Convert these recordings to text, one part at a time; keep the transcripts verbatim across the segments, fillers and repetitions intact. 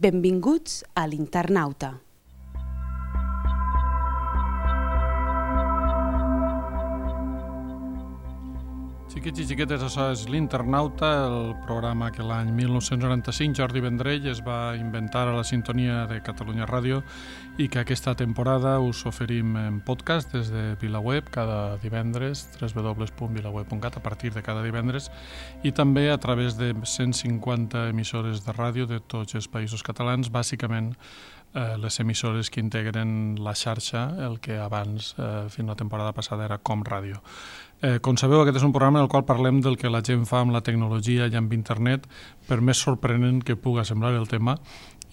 Benvinguts a l'Internauta. Xiquets i xiquetes, això és l'Internauta, el programa que l'any mil nou-cents noranta-cinc Jordi Vendrell es va inventar a la sintonia de Catalunya Ràdio i que aquesta temporada us oferim en podcast des de VilaWeb cada divendres, w w w punt vilaweb punt cat, a partir de cada divendres, i també a través de cent cinquanta emissores de ràdio de tots els països catalans, bàsicament eh, les emissores que integren la xarxa, el que abans, eh, fins la temporada passada, era Com Ràdio. Eh, com sabeu, aquest és un programa en el qual parlem del que la gent fa amb la tecnologia i amb internet, per més sorprenent que puga semblar el tema,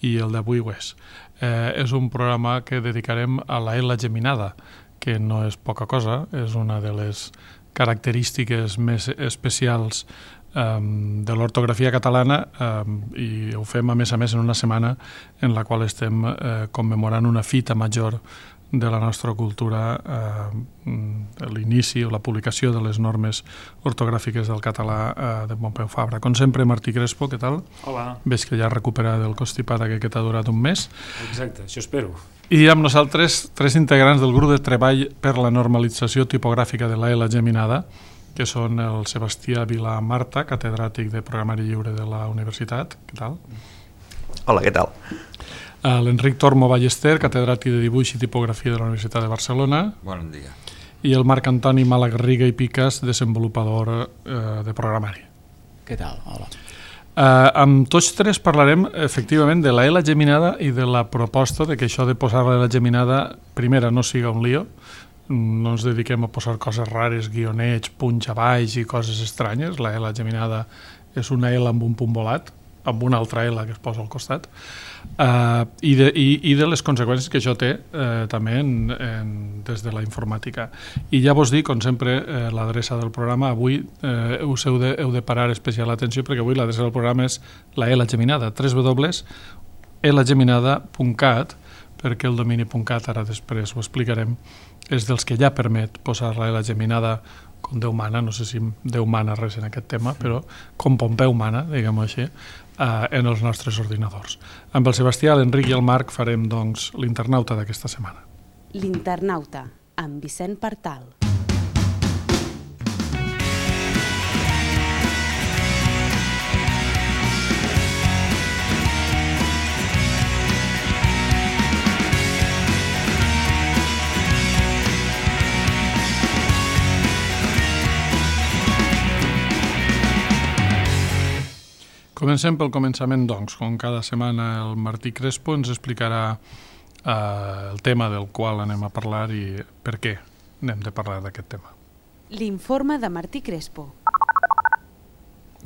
i el d'avui ho és. Eh, és un programa que dedicarem a la L geminada, que no és poca cosa, és una de les característiques més especials um, de l'ortografia catalana, um, i ho fem a més a més en una setmana en la qual estem eh, commemorant una fita major de la nostra cultura, eh, l'inici o la publicació de les normes ortogràfiques del català eh, de Pompeu Fabra. Com sempre, Martí Crespo, què tal? Hola. Veig que ja has recuperat el constipat aquest que t'ha durat un mes. Exacte, això espero. I amb nosaltres, tres integrants del grup de treball per la normalització tipogràfica de la L geminada, que són el Sebastià Vilà Marta, catedràtic de Programari Lliure de la Universitat. Què tal? Hola, què tal? L'Enric Tormo Ballester, catedràtic de Dibuix i Tipografia de la Universitat de Barcelona. Bon dia. I el Marc Antoni Malagarriga i Picas, desenvolupador eh, de programari. Què tal? Hola. Eh, amb tots tres parlarem efectivament de la L geminada i de la proposta de que això de posar la L geminada primera no siga un lío, no ens dediquem a posar coses rares, guionets, punts a baix i coses estranyes. La L geminada és una L amb un punt volat, amb una altra L que es posa al costat, uh, i, de, i, i de les conseqüències que això té uh, també en, en, des de la informàtica. I ja vos dic, com sempre, uh, l'adreça del programa, avui uh, us heu de, heu de parar especial atenció perquè avui l'adreça del programa és la L geminada, w w w punt l geminada punt cat, perquè el domini .cat, ara després ho explicarem, és dels que ja permet posar la L geminada com Déu mana, no sé si Déu mana res en aquest tema, però com Pompeu mana, diguem-ho així, eh, en els nostres ordinadors. Amb el Sebastià, l'Enric i el Marc farem, doncs, l'Internauta d'aquesta setmana. L'Internauta, amb Vicent Partal. Comencem pel començament, doncs. Com cada setmana el Martí Crespo ens explicarà eh, el tema del qual anem a parlar i per què anem de parlar d'aquest tema. L'informe de Martí Crespo.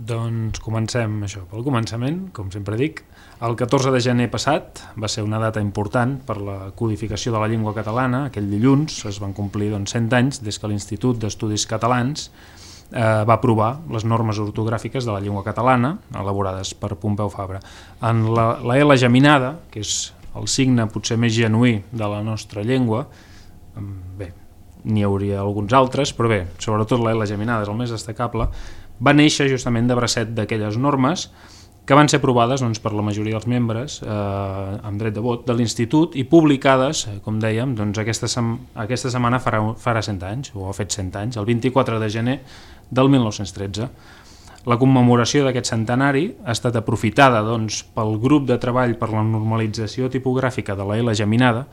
Doncs comencem això, pel començament, com sempre dic. El catorze de gener passat va ser una data important per la codificació de la llengua catalana. Aquell dilluns es van complir doncs, cent anys des que l'Institut d'Estudis Catalans Eh, va aprovar les normes ortogràfiques de la llengua catalana elaborades per Pompeu Fabra. En la, la L geminada, que és el signe potser més genuí de la nostra llengua, bé, n'hi hauria alguns altres, però bé, sobretot la L geminada és el més destacable, va néixer justament de bracet d'aquelles normes que van ser aprovades doncs, per la majoria dels membres eh, amb dret de vot de l'Institut i publicades, eh, com dèiem, doncs, aquesta, sem aquesta setmana farà, farà cent anys, o ha fet cent anys, el vint-i-quatre de gener del mil nou-cents tretze. La commemoració d'aquest centenari ha estat aprofitada doncs, pel grup de treball per la normalització tipogràfica de la L geminada,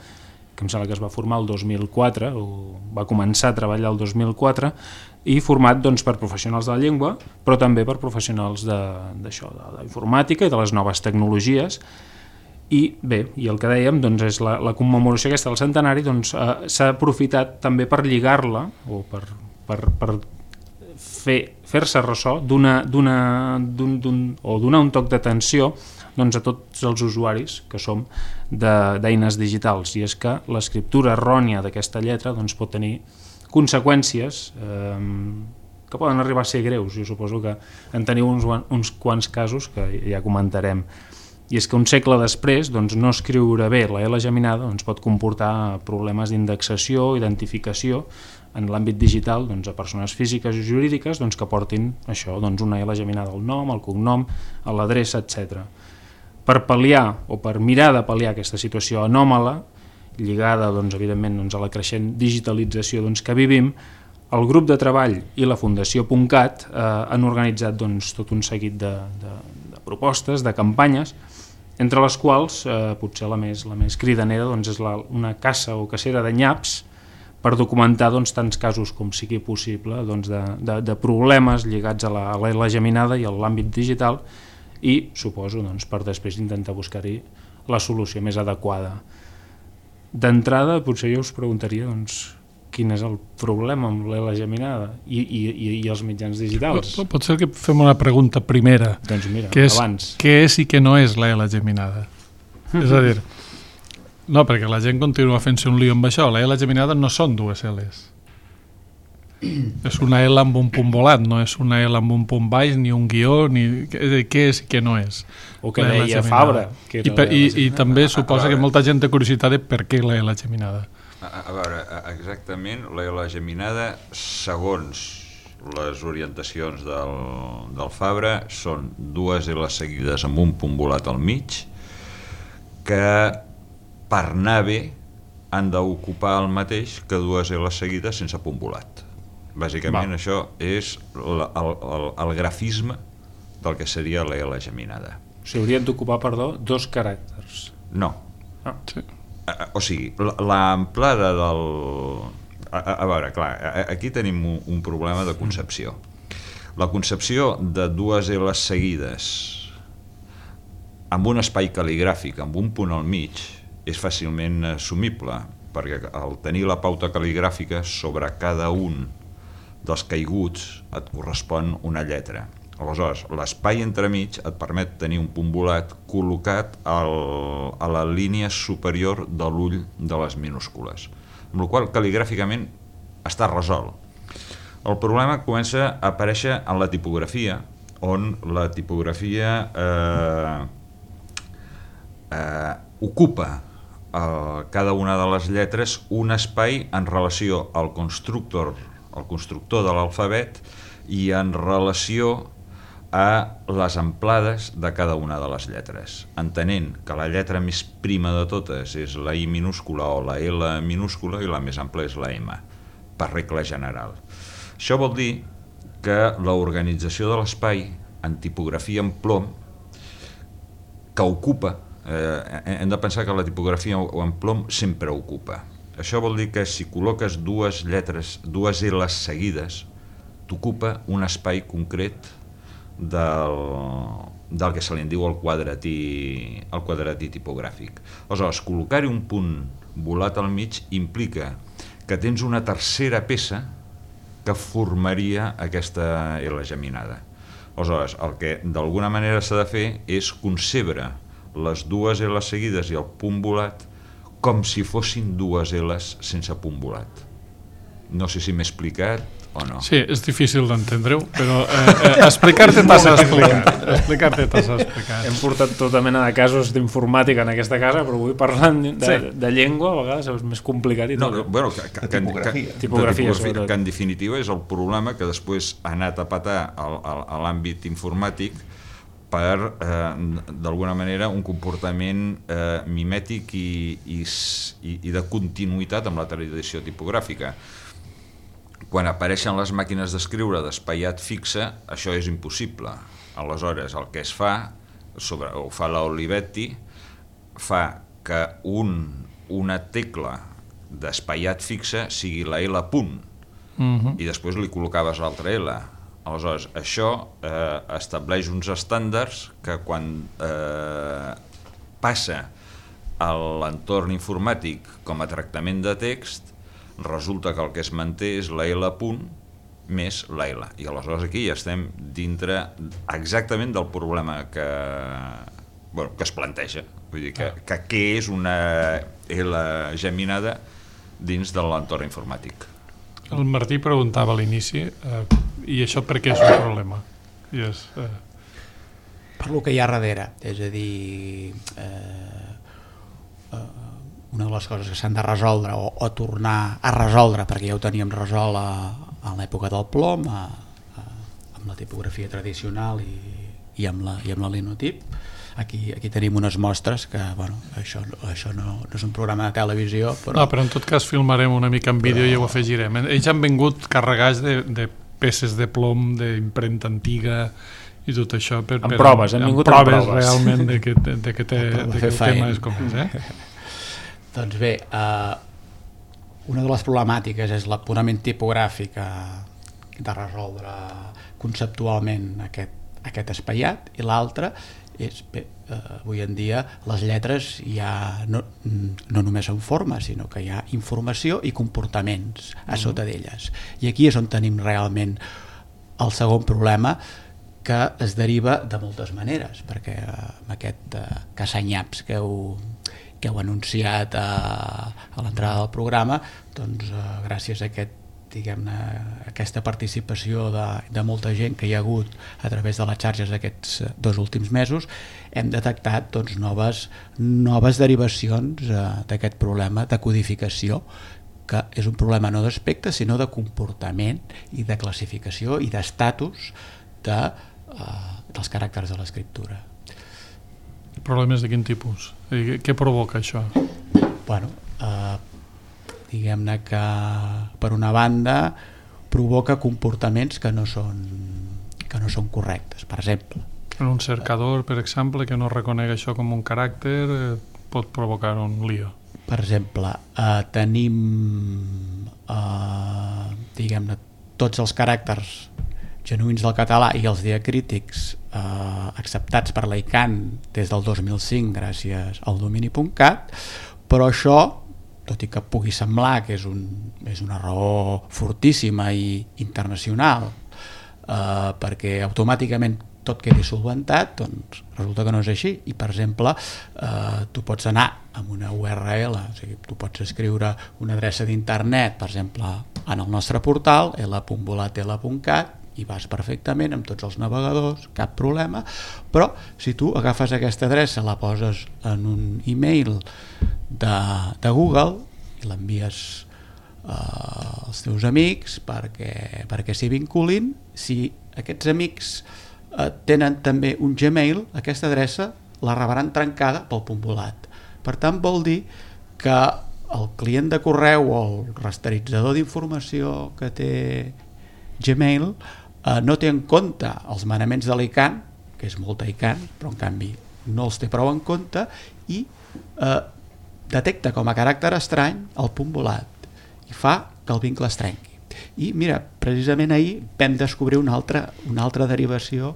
que em sembla que es va formar el dos mil quatre, o va començar a treballar el dos mil quatre, i format doncs, per professionals de la llengua, però també per professionals d'això, de, de l'informàtica i de les noves tecnologies. I bé, i el que dèiem doncs, és la, la commemoració aquesta del centenari doncs, eh, s'ha aprofitat també per lligar-la o per, per, per fer, fer-se ressò d'una, d'una, d'un, d'un, o donar un toc d'atenció doncs, a tots els usuaris que som d'eines digitals, i és que l'escriptura errònia d'aquesta lletra doncs, pot tenir conseqüències eh, que poden arribar a ser greus. Jo suposo que en teniu uns, uns quants casos que ja comentarem. I és que un segle després doncs, no escriure bé la L geminada doncs, pot comportar problemes d'indexació, identificació en l'àmbit digital doncs, a persones físiques i jurídiques doncs, que portin això, doncs, una L geminada al nom, al cognom, a l'adreça, etcètera. per pal·liar o per mirar de pal·liar aquesta situació anòmala, lligada doncs, evidentment doncs, a la creixent digitalització doncs, que vivim, el grup de treball i la Fundació .cat eh, han organitzat doncs, tot un seguit de, de, de propostes, de campanyes, entre les quals eh, potser la més, la més cridanera doncs, és la, una caça o cacera de nyaps per documentar doncs, tants casos com sigui possible doncs, de, de, de problemes lligats a la, a la geminada i a l'àmbit digital i, suposo, doncs, per després intentar buscar-hi la solució més adequada. D'entrada, potser jo us preguntaria doncs, quin és el problema amb l'E L A geminada i, i, i els mitjans digitals. Pot, pot ser que fem una pregunta primera, doncs mira, que és abans. Què és i què no és l'E L A geminada? És a dir, no, perquè la gent continua fent-se un lío amb això. La L geminada no són dues L's. És una L amb un punt volat, no és una L amb un punt baix, ni un guió, ni què és i què no és. O que deia Fabra. Que I, per, i, i també suposa que molta gent té curiositat de per què la L geminada. A, a veure, exactament, la L geminada, segons les orientacions del, del Fabra, són dues L seguides amb un punt volat al mig, que per anar bé han d'ocupar el mateix que dues L seguides sense punt volat. Bàsicament Va. Això és el, el, el grafisme del que seria la L geminada. O sigui, haurien d'ocupar, perdó, dos caràcters. No. Ah. Sí. O sigui, l'amplada del... A, a veure, clar, aquí tenim un, un problema de concepció. La concepció de dues L seguides amb un espai cal·ligràfic, amb un punt al mig, és fàcilment assumible, perquè al tenir la pauta cal·ligràfica sobre cada un dels caiguts et correspon una lletra. Aleshores, l'espai entremig et permet tenir un punt volat col·locat al, a la línia superior de l'ull de les minúscules, amb la qual cal·ligràficament està resolt. El problema comença a aparèixer en la tipografia, on la tipografia eh, eh, ocupa eh, cada una de les lletres un espai en relació al constructor, al constructor de l'alfabet i en relació a les amplades de cada una de les lletres, entenent que la lletra més prima de totes és la I minúscula o la L minúscula i la més ampla és la M, per regla general. Això vol dir que l'organització de l'espai en tipografia en plom, que ocupa, eh, hem de pensar que la tipografia en plom sempre ocupa. Això vol dir que si col·loques dues lletres, dues L seguides, t'ocupa un espai concret del, del que se li diu el quadratí, el quadratí tipogràfic. Aleshores, col·locar-hi un punt volat al mig implica que tens una tercera peça que formaria aquesta L geminada. Aleshores, el que d'alguna manera s'ha de fer és concebre les dues L seguides i el punt volat com si fossin dues L's sense punt volat. No sé si m'he explicat o no. Sí, és difícil d'entendre-ho, però eh, eh, explicar-te t'has explicat. Explicar-te t'has explicat. Hem portat tota mena de casos d'informàtica en aquesta casa, però avui parlant de, sí. de llengua a vegades és més complicat i no, tot. Bueno, que, que, tipografia. Que, tipografia, tipografia que en definitiva és el problema que després ha anat a patar a l'àmbit informàtic per, eh, d'alguna manera, un comportament eh, mimètic i, i, i de continuïtat amb la tradició tipogràfica. Quan apareixen les màquines d'escriure d'espaiat fixe, això és impossible. Aleshores, el que es fa, sobre, ho fa l'Olivetti, fa que un, una tecla d'espaiat fixe sigui la L punt, uh-huh. i després li col·locaves l'altra L. Aleshores, això eh, estableix uns estàndards que quan eh, passa a l'entorn informàtic com a tractament de text, resulta que el que es manté és la L punt més la L. I aleshores aquí ja estem dintre exactament del problema que, bueno, que es planteja. Vull dir que, que què és una L geminada dins de l'entorn informàtic. El Martí preguntava a l'inici, eh, i això per què és un problema? I és, eh... Per lo que hi ha darrere, és a dir, eh, eh, una de les coses que s'han de resoldre o, o tornar a resoldre, perquè ja ho teníem resolt a, a l'època del plom, a, a, amb la tipografia tradicional i, i amb la, i amb la linotip, aquí, aquí tenim unes mostres que, bueno, això, això no, no és un programa de televisió, però... No, però en tot cas filmarem una mica en vídeo però... i ho afegirem. Ells han vingut carregats de, de peces de plom, d'impremta antiga i tot això. Per, amb per, proves, han vingut amb proves. realment de que, de, de que, té, de que el tema és com és, eh? Doncs bé, eh, una de les problemàtiques és la purament tipogràfica de resoldre conceptualment aquest, aquest espaiat, i l'altra és, bé, eh, avui en dia les lletres ja no, no només són formes, sinó que hi ha informació i comportaments a sota d'elles, i aquí és on tenim realment el segon problema, que es deriva de moltes maneres, perquè amb aquest eh, casanyaps que heu, que heu anunciat a, a l'entrada del programa, doncs eh, gràcies a aquest, diguem-ne, aquesta participació de, de molta gent que hi ha hagut a través de les xarxes aquests dos últims mesos, hem detectat doncs, noves, noves derivacions eh, d'aquest problema de codificació, que és un problema no d'aspecte, sinó de comportament i de classificació i d'estatus de, eh, dels caràcters de l'escriptura. Problemes de quin tipus? Què provoca això? Bueno, eh, diguem-ne que per una banda provoca comportaments que no són, que no són correctes. Per exemple, en un cercador, per exemple, que no reconega això com un caràcter, eh, pot provocar un lío. Per exemple, eh, tenim eh, diguem-ne tots els caràcters genuïns del català i els diacrítics eh, acceptats per l'ICANN des del dos mil cinc gràcies al domini punt cat, però això, tot i que pugui semblar que és, un, és una raó fortíssima i internacional, eh, perquè automàticament tot quedi solventat, doncs resulta que no és així. I per exemple, eh, tu pots anar amb una U R L, o sigui, tu pots escriure una adreça d'internet, per exemple, en el nostre portal, l punt volatl punt cat, i vas perfectament amb tots els navegadors, cap problema, però si tu agafes aquesta adreça, la poses en un e-mail de, de Google i l'envies eh, als teus amics perquè, perquè s'hi vinculin, si aquests amics eh, tenen també un Gmail, aquesta adreça la rebran trencada pel punt volat. Per tant, vol dir que el client de correu o el rasteritzador d'informació que té Gmail eh, no té en compte els manaments de l'ICANN, que és molta ICANN, però en canvi no els té prou en compte, i eh, detecta com a caràcter estrany el punt volat i fa que el vincle es trenqui. I mira, precisament ahir vam descobrir una altra, una altra derivació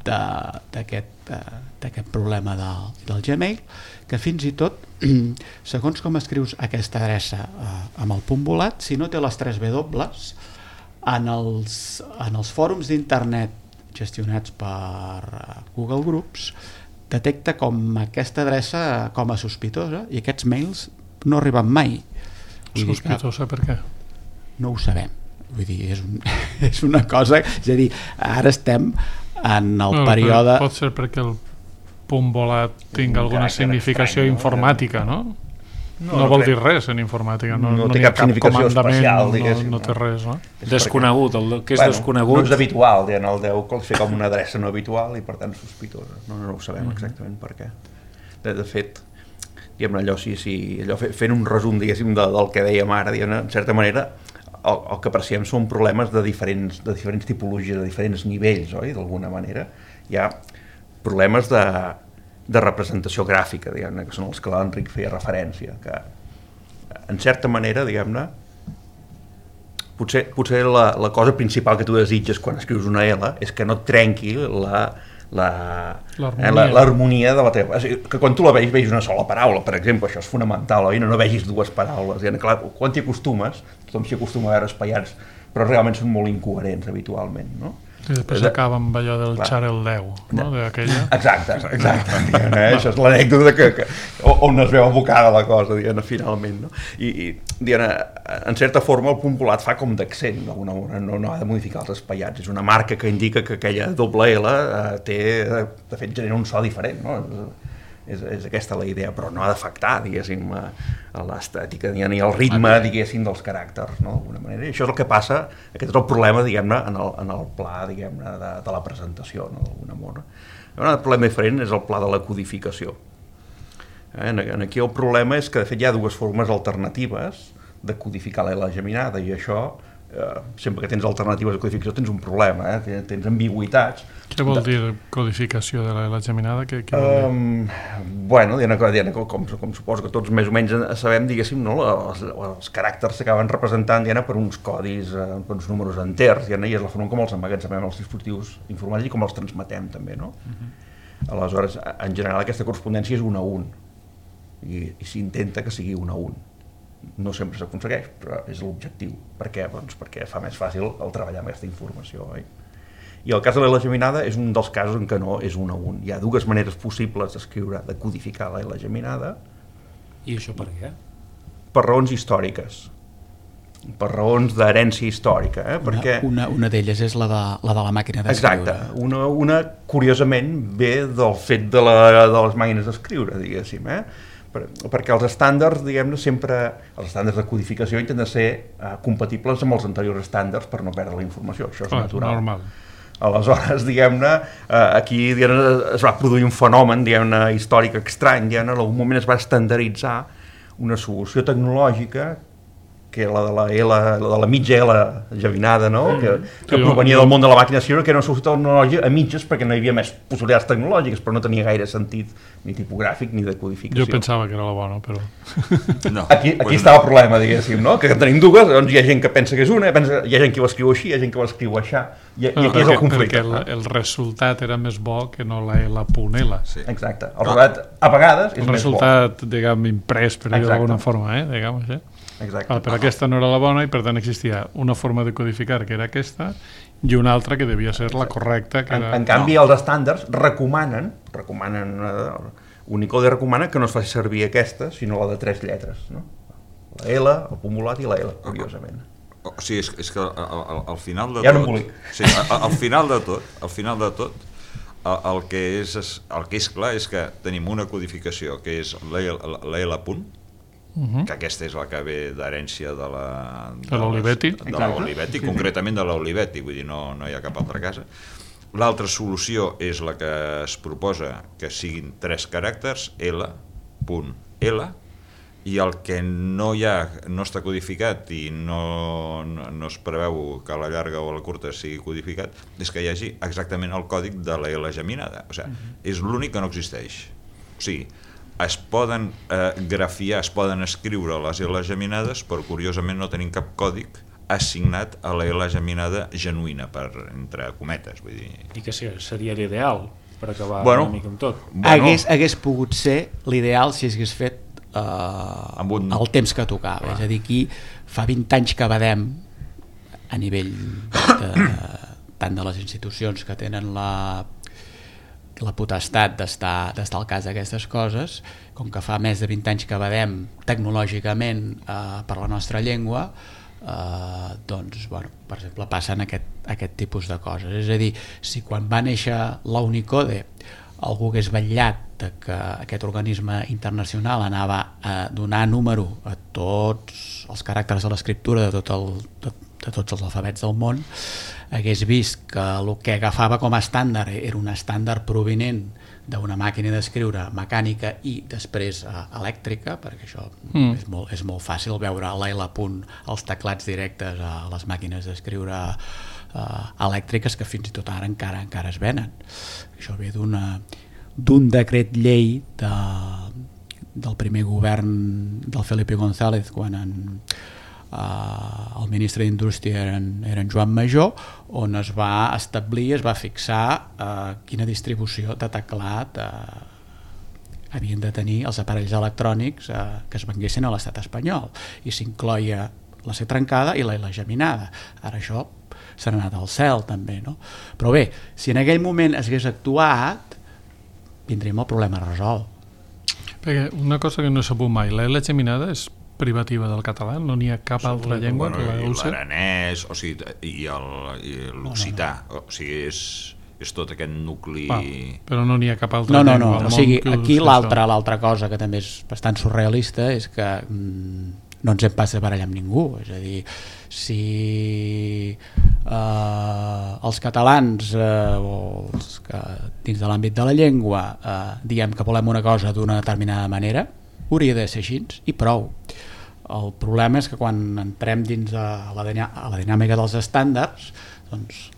d'aquest de, problema del, del Gmail, que fins i tot, segons com escrius aquesta adreça eh, amb el punt volat, si no té les tres W, en els, en els fòrums d'internet gestionats per Google Groups, detecta com aquesta adreça com a sospitosa, i aquests mails no arriben mai. Vull sospitosa per què? No ho sabem. Vull dir, és, un, és una cosa... És a dir, ara estem en el no, període... Pot ser perquè el punt volat tingui alguna significació estrany, informàtica, no? No, no, no vol crec. dir res en informàtica, no, no, no té cap, cap significació especial, no, no té res, no? Desconegut, el que és bueno, desconegut... No és habitual, diguem, el deu qualifica com una adreça no habitual i per tant sospitosa. No, no ho sabem mm-hmm. exactament per què. De, de fet, diguem, allò, sí, sí, allò fent un resum, diguéssim, de, del que dèiem ara, diguem, en certa manera, el, el que apreciem són problemes de diferents, de diferents tipologies, de diferents nivells, oi? D'alguna manera. Hi ha problemes de... de representació gràfica, diguem-ne, que són els que l'Enric feia referència, que en certa manera, diguem-ne, potser, potser la, la cosa principal que tu desitges quan escrius una L és que no et trenqui la l'harmonia de la teva... O sigui, que quan tu la veus, veus una sola paraula, per exemple, això és fonamental, oi? No, no vegis dues paraules. Diguem, clar, quan t'hi acostumes, tothom s'hi acostuma a veure espaiats, però realment són molt incoherents habitualment, no? I després acaba amb allò del Xarel deu, no? D'aquella. Exacte, exacte. Diguem, eh? Això és l'anècdota que, que, on es veu abocada la cosa, diguem, finalment. No? I, i diguem, en certa forma el punt volat fa com d'accent, no, no, no ha de modificar els espaiats. És una marca que indica que aquella doble L eh, té, de fet, genera un so diferent, no? És, és aquesta la idea, però no ha d'afectar, diguéssim, a l'estètica ni al ritme, diguéssim, dels caràcters, no? D'alguna manera. I això és el que passa, aquest és el problema, diguem-ne, en, el, en el pla, diguem-ne, de, de la presentació, no? D'alguna manera. Un altre problema diferent és el pla de la codificació. Eh? Aquí el problema és que de fet hi ha dues formes alternatives de codificar la L geminada, i això, eh, sempre que tens alternatives de codificació tens un problema, eh? tens ambigüitats. Què vol dir codificació de la L geminada? Què, què vol dir? Um, bueno, Diana, Diana, com, com suposo que tots més o menys sabem, diguéssim, no? els, els caràcters s'acaben representant, Diana, per uns codis, eh, per uns números enters, Diana, i és la forma com els emmagatzemem els dispositius informàtics i com els transmetem també, no? Uh-huh. Aleshores, en general aquesta correspondència és un a un, i, i s'intenta que sigui un a un. No sempre s'aconsegueix, però és l'objectiu. Per què? Doncs perquè fa més fàcil el treballar amb aquesta informació, oi? I el cas de la L geminada és un dels casos en què no és un a un. Hi ha dues maneres possibles d'escriure, de codificar la L geminada. I això per què? Per raons històriques, per raons d'herència històrica. Eh? Una, Perquè... una, una d'elles és la de la, de la màquina d'escriure. Exacte, una, una curiosament ve del fet de, la, de les màquines d'escriure, diguéssim, eh? Per, perquè els estàndards, diguem-ne, sempre, els estàndards de codificació intenten ser eh, compatibles amb els anteriors estàndards per no perdre la informació, això és Clar, natural. Normal. Aleshores, diguem-ne, eh, aquí diguem-ne, es va produir un fenomen, diguem-ne, històric estrany, diguem-ne, en algun moment es va estandarditzar una solució tecnològica que la de la L, la de la mitja L geminada, no? que, que provenia del món de la màquina d'escriure, que era una solució tecnològica a mitges perquè no hi havia més possibilitats tecnològiques, però no tenia gaire sentit ni tipogràfic ni de codificació. Jo pensava que era la bona, però... No, Aquí, aquí pues estava el problema, diguéssim, no? Que tenim dues, doncs hi ha gent que pensa que és una, pensa, hi ha gent que ho escriu així, hi ha gent que ho escriu així, i, i aquí és el conflicte. Perquè el, el resultat era més bo que no la L punt L. Sí. Exacte. El resultat, a vegades, és el més bo. El resultat, diguem, imprès, per dir d'alguna forma, eh? Diguem així. Exacte. Ah, però aquesta no era la bona i per tant existia una forma de codificar que era aquesta i una altra que devia ser la correcta que en, era... en canvi no. Els estàndards recomanen recomanen eh, Unicode recomana que no es faci servir aquesta sinó la de tres lletres, no? La L, el punt volat i la L, curiosament. O sigui, és, és que al, al, al final de ja tot... no em vull. Sí, al, al final de tot, al final de tot, el, el, que és, el que és clar és que tenim una codificació que és la, la, la L punt, Uh-huh. que aquesta és la que ve d'herència de la de l'Olivetti, de l'Olivetti, concretament de l'Olivetti, vull dir, no, no hi ha cap altra casa. L'altra solució és la que es proposa que siguin tres caràcters, L, punt, L, i el que no hi ha, no està codificat i no, no, no es preveu que a la llarga o a la curta sigui codificat, és que hi hagi exactament el còdic de la L geminada. O sigui, uh-huh. és l'únic que no existeix. O sigui, es poden eh, grafiar, es poden escriure les L geminades, però curiosament no tenim cap còdic assignat a la L geminada genuïna, per, entre cometes. Vull dir. I que seria l'ideal per acabar bueno, una mica amb tot. Bueno, hagués, hagués pogut ser l'ideal si hagués fet eh, amb un... el temps que tocava. Ah. És a dir, aquí fa vint anys que badem a nivell de, tant de les institucions que tenen la la potestat d'estar d'estar al cas d'aquestes coses, com que fa més de vint anys que badem tecnològicament eh, per la nostra llengua, eh, doncs, bueno, per exemple, passen aquest, aquest tipus de coses. És a dir, si quan va néixer la Unicode algú hagués vetllat de que aquest organisme internacional anava a donar número a tots els caràcters de l'escriptura de, tot el, de, de tots els alfabets del món, hagués vist que el que agafava com a estàndard era un estàndard provinent d'una màquina d'escriure mecànica i després eh, elèctrica, perquè això mm. és, molt, és molt fàcil veure a l'L punt els teclats directes a les màquines d'escriure eh, elèctriques que fins i tot ara encara encara es venen. Això ve d'una d'un decret llei de, del primer govern del Felipe González quan en Uh, el ministre d'Indústria era, era en Joan Major, on es va establir, es va fixar uh, quina distribució de teclat uh, havien de tenir els aparells electrònics uh, que es venguessin a l'estat espanyol, i s'incloia la C trencada i la L geminada. Ara això s'ha anat al cel també, no? Però bé, si en aquell moment es hagués actuat, tindríem el problema resolt. Perquè una cosa que no he sabut mai, la L geminada és privativa del català, no n'hi ha cap altra sí, llengua bueno, que la usa? L'aranès, o sigui, i l'occità, no, no, no. O sigui, és, és tot aquest nucli... Va, però no n'hi ha cap altra no, no, llengua. No, no, o sigui, aquí l'altra l'altra cosa que també és bastant surrealista és que mm, no ens hem pas de barallar amb ningú, és a dir, si eh, els catalans eh, o els que dins de l'àmbit de la llengua eh, diem que volem una cosa d'una determinada manera, hauria de ser així i prou. El problema és que quan entrem dins de la, a la dinàmica dels estàndards, doncs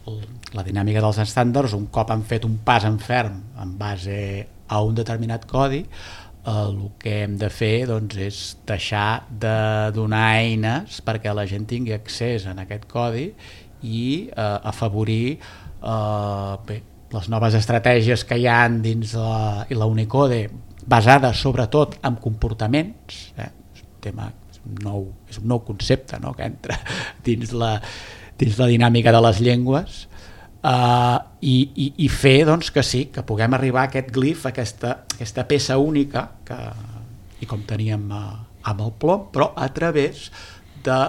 la dinàmica dels estàndards, un cop han fet un pas en ferm en base a un determinat codi, eh, el que hem de fer doncs, és deixar de donar eines perquè la gent tingui accés a aquest codi i eh, afavorir eh, bé, les noves estratègies que hi ha dins la, i la Unicode, basades sobretot en comportaments, eh? És un tema nou, és un nou concepte, no?, que entra dins la, dins la dinàmica de les llengües, uh, i, i, i fer doncs, que sí, que puguem arribar a aquest glif, a aquesta, aquesta peça única, que, i com teníem uh, amb el plom, però a través de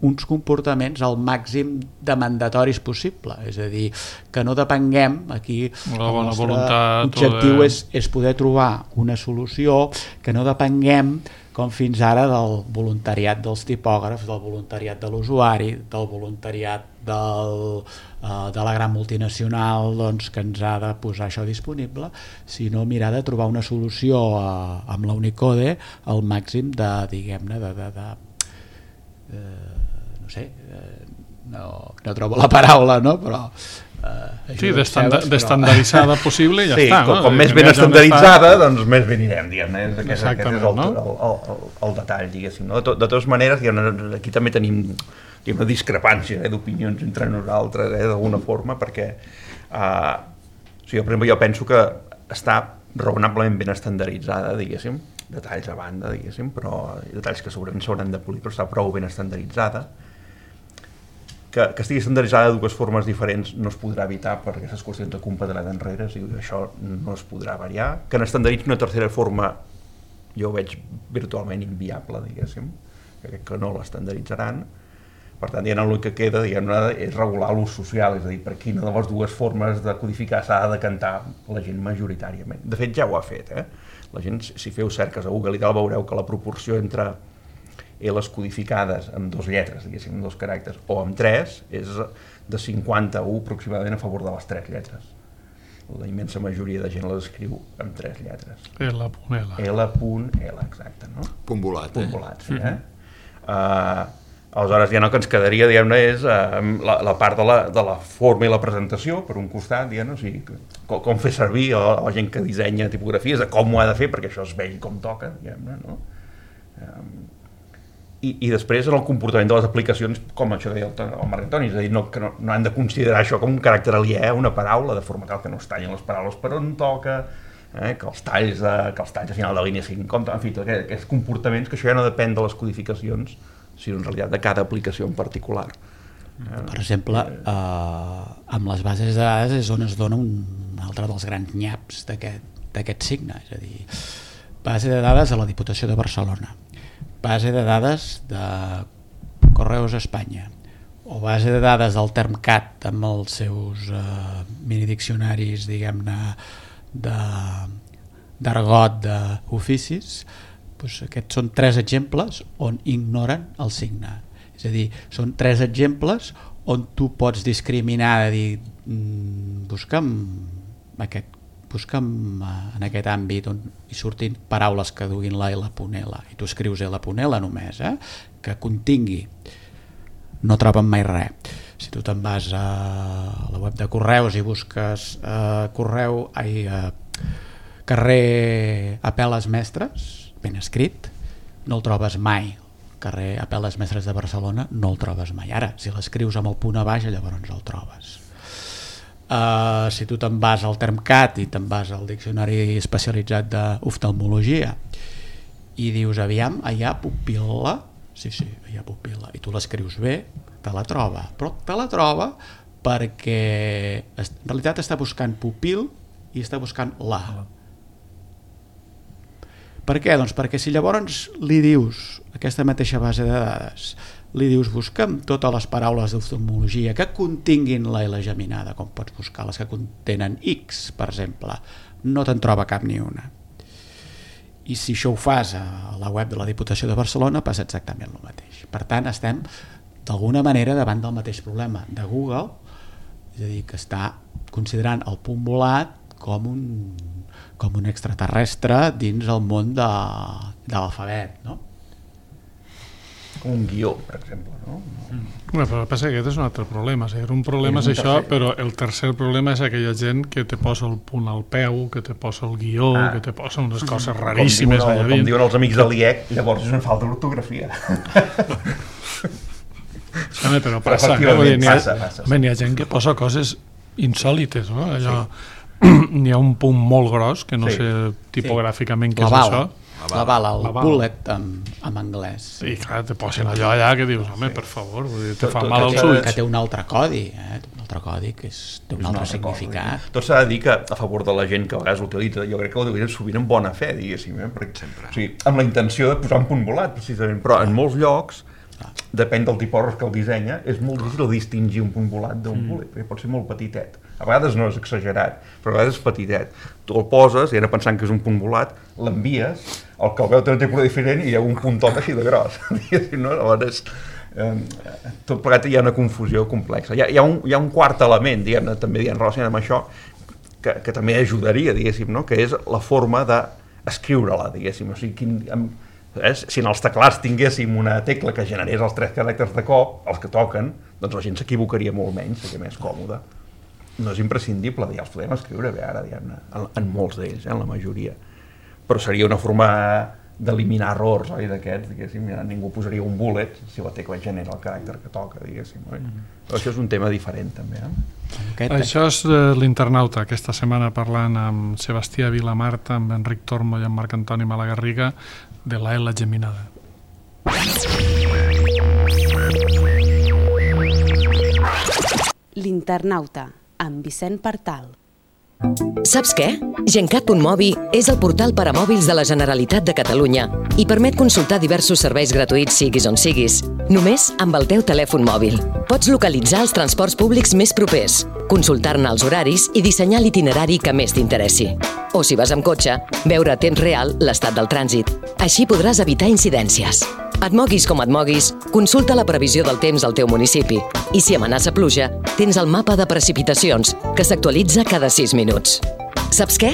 uns comportaments al màxim de mandatoris possible, és a dir, que no depenguem, aquí la el bona nostre voluntat, objectiu de... és, és poder trobar una solució que no depenguem com fins ara del voluntariat dels tipògrafs, del voluntariat de l'usuari, del voluntariat del, uh, de la gran multinacional, doncs, que ens ha de posar això disponible, sinó mirar de trobar una solució uh, amb la Unicode al màxim de, diguem-ne, de, de, de uh, no sé, uh, no, no trobo la paraula, no? Però Uh, sí, d'estandaritzada però... possible i ja sí, està. Com, no? com més ben estandarditzada, doncs més ben anirem, diguem-ne. Aquest, aquest és el, no? el, el, el, el detall, diguéssim. No? De, to, de totes maneres, aquí també tenim una discrepància eh, d'opinions entre nosaltres, eh, d'alguna forma, perquè uh, o sigui, jo, per exemple, jo penso que està raonablement ben estandarditzada, diguéssim, detalls a banda, diguéssim, però detalls que segurament s'hauran de polir, però està prou ben estandarditzada. Que, que estigui estandarditzada de dues formes diferents no es podrà evitar per aquestes qüestions de compatibilitat enrere, i això no es podrà variar. Que n'estandarditzi una tercera forma jo ho veig virtualment inviable, diguéssim, que, que no l'estandarditzaran. Per tant, ja l'únic que queda, diguem-ne, és regular l'ús social, és a dir, per quina de les dues formes de codificar s'ha de decantar la gent majoritàriament. De fet, ja ho ha fet, eh? La gent, si feu cerques a Google i tal, veureu que la proporció entre les codificades amb dos lletres, diguéssim, amb dos caràcters, o amb tres, és de cinquanta-u aproximadament a favor de les tres lletres. La immensa majoria de gent les escriu amb tres lletres. L punt L. L punt L, exacte, no? Punt volat, Punt eh? volat, sí, eh? Uh, aleshores, ja no, que ens quedaria, diguem-ne, és uh, la, la part de la, de la forma i la presentació, per un costat, diguem-ne, o sigui, com, com fer servir a la, a la gent que dissenya tipografies, de com ho ha de fer, perquè això es vegi com toca, diguem-ne, no? Um, I, i després en el comportament de les aplicacions, com això que deia el, el Marc Antoni, és a dir, no, que no, no han de considerar això com un caràcter aliè, una paraula, de forma tal que no es tallin les paraules per on toca, eh, que, els talls de, que els talls a final de línia siguin compte, en fi, tots aquests, aquests comportaments, que això ja no depèn de les codificacions, sinó en realitat de cada aplicació en particular. Eh, per exemple, eh, amb les bases de dades és on es dona un altre dels grans nyaps d'aquest signe, és a dir, base de dades a la Diputació de Barcelona, base de dades de Correus Espanya o base de dades del Termcat amb els seus uh, minidiccionaris, diguem-ne, d'argot d'oficis, doncs aquests són tres exemples on ignoren el signe. És a dir, són tres exemples on tu pots discriminar, de dir, mm, busca'm aquest busca'm en aquest àmbit on hi surtin paraules que duguin la L punt L i tu escrius L punt L només, eh? Que contingui, no troben mai res. Si tu te'n vas a la web de Correus i busques eh, correu, ai, eh, carrer Apel·les Mestres, ben escrit, no el trobes mai. Carrer Apel·les Mestres de Barcelona no el trobes mai. Ara, si l'escrius amb el punt a baix, llavors el trobes. Uh, si tu te'n vas al Termcat i te'n vas al diccionari especialitzat d'oftalmologia i dius, aviam, allà pupil·la, sí, sí, allà pupil·la, i tu l'escrius bé, te la troba, però te la troba perquè en realitat està buscant pupil i està buscant la. Per què? Doncs perquè si llavors li dius aquesta mateixa base de dades, li dius busca'm totes les paraules d'oftalmologia que continguin la L geminada, com pots buscar les que contenen X, per exemple, no te'n troba cap ni una. I si això ho fas a la web de la Diputació de Barcelona passa exactament el mateix. Per tant, estem d'alguna manera davant del mateix problema de Google, és a dir, que està considerant el punt volat com un, com un extraterrestre dins el món de, de l'alfabet, no? Com un guió, per exemple, no? Mm. Bueno, però el que passa que aquest és un altre problema. O sigui, un problema és, és això, tercer. Però el tercer problema és aquella gent que te posa el punt al peu, que te posa el guió, ah. que te posa unes coses raríssimes. Com diuen, com diuen els amics de l'I E C, llavors és una falta d'ortografia. Sí, però passa, però eh? N'hi ha, passa, passa, sí. ha gent que posa coses insòlites, no? Allò, sí. N'hi ha un punt molt gros, que no sí. sé tipogràficament sí. què és això. La bala, el la bullet en, en anglès. I clar, te posen allò allà que dius, home, sí. per favor, vull dir, te tot, fa tot, mal als ulls. Que té un altre codi, eh? un altre codi que és, té un, un altre significat. Tot s'ha de dir que a favor de la gent que a vegades l'utilitza, jo crec que l'utilitzen sovint en bona fe, diguéssim, eh? Perquè, sempre. O sigui, amb la intenció de posar un punt volat, precisament, però en molts llocs, depèn del tipògraf que el dissenya, és molt difícil distingir un punt volat d'un mm. bullet, perquè pot ser molt petitet. A vegades no és exagerat, però a vegades és petitet. Tu el poses, i ara pensant que és un punt volat, l'envies, el que el veu té un tipus diferent i hi ha un puntot així de gros. No? Llavors, eh, tot plegat hi ha una confusió complexa. Hi ha, hi ha, un, hi ha un quart element, diguem-ne, també dient relacionat amb això, que, que també ajudaria, diguéssim, no? Que és la forma d'escriure-la, diguéssim. O sigui, quin, amb, eh? Si en els teclats tinguéssim una tecla que generés els tres caràcters de cop, els que toquen, doncs la gent s'equivocaria molt menys, seria més còmode. No és imprescindible, ja els podem escriure bé ara, diguem-ne, en, en molts d'ells, eh, en la majoria. Però seria una forma d'eliminar errors, oi, d'aquests, diguéssim, ja ningú posaria un bullet si la tecla genera el caràcter que toca, diguéssim, oi? Mm. Però això és un tema diferent, també, eh? Aquest... Això és uh, l'Internauta, aquesta setmana parlant amb Sebastià Vilamarta, amb Enric Tormo i amb Marc Antoni Malagarriga, de la L geminada. L'Internauta, amb Vicent Partal. Saps què? Gencat punt mobi és el portal per a mòbils de la Generalitat de Catalunya i permet consultar diversos serveis gratuïts siguis on siguis, només amb el teu telèfon mòbil. Pots localitzar els transports públics més propers, consultar-ne els horaris i dissenyar l'itinerari que més t'interessi. O si vas amb cotxe, veure a temps real l'estat del trànsit. Així podràs evitar incidències. Et moguis com et moguis, consulta la previsió del temps al teu municipi. I si amenaça pluja, tens el mapa de precipitacions, que s'actualitza cada sis minuts. Saps què?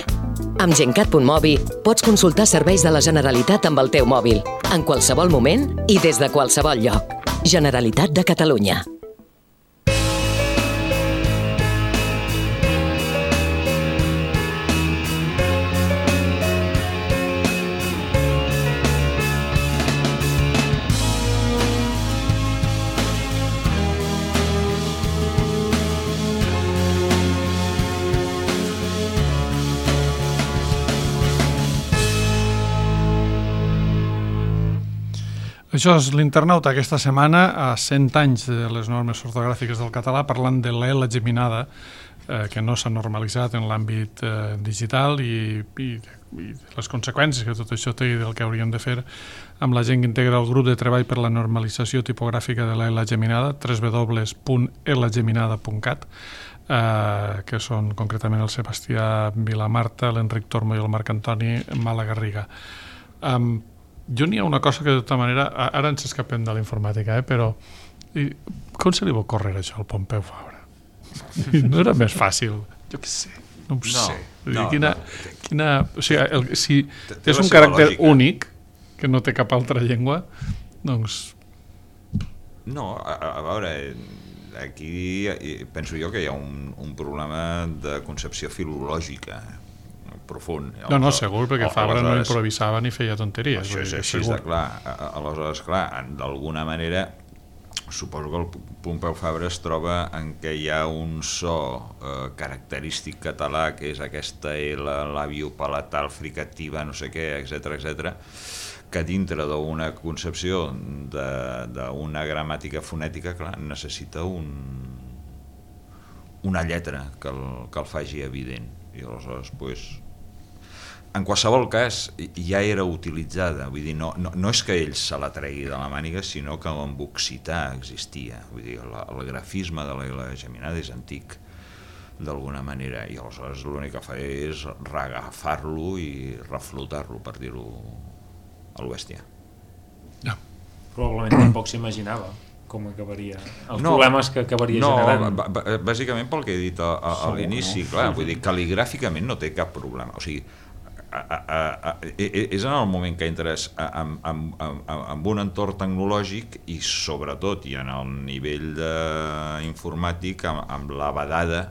Amb Gencat punt mobi pots consultar serveis de la Generalitat amb el teu mòbil, en qualsevol moment i des de qualsevol lloc. Generalitat de Catalunya. Això és l'Internauta aquesta setmana, a cent anys de les normes ortogràfiques del català, parlant de l'L geminada, eh, que no s'ha normalitzat en l'àmbit eh, digital i, i, i les conseqüències que tot això té i del que hauríem de fer amb la gent que integra el grup de treball per la normalització tipogràfica de l'L geminada, w w w punt l geminada punt cat, eh, que són concretament el Sebastià Vilamarta, l'Enric Tormo i el Marc Antoni Malagarriga. Um, Jo n'hi ha una cosa que de tota manera, ara ens escapem de la informàtica, eh, però i, com se li va córrer això al Pompeu Fabra? No era més fàcil? Jo què sé, no ho no, sé. No, quina, no. Quina, o sigui, el, si és un caràcter lògica. Únic, que no té cap altra llengua, doncs... No, a, a veure, aquí penso jo que hi ha un, un problema de concepció filològica profund. No, no, segur, perquè Fabra no improvisava ni feia tonteries. Això és així de clar. Aleshores, clar, d'alguna manera, suposo que el Pompeu Fabra es troba en què hi ha un so eh, característic català, que és aquesta L labiopalatal fricativa, no sé què, etcètera, etcètera, que dintre d'una concepció d'una gramàtica fonètica, clar, necessita un, una lletra que el, que el faci evident. I aleshores, doncs, en qualsevol cas, ja era utilitzada, vull dir, no, no, no és que ell se la tregui de la màniga, sinó que en occità existia, vull dir, la, el grafisme de la L geminada és antic, d'alguna manera, i aleshores l'únic que fa és reagafar-lo i reflotar-lo, per dir-ho a l'Oestia. No. Probablement tampoc s'imaginava com acabaria, els no, problemes que acabaria no, generant. No, bàsicament pel que he dit a, a, a l'inici, no? Clar, vull dir, cal·ligràficament no té cap problema, o sigui, a, a, a, a, és en el moment que entres en, en, en, en un entorn tecnològic i sobretot i en el nivell de, informàtic amb, amb la vedada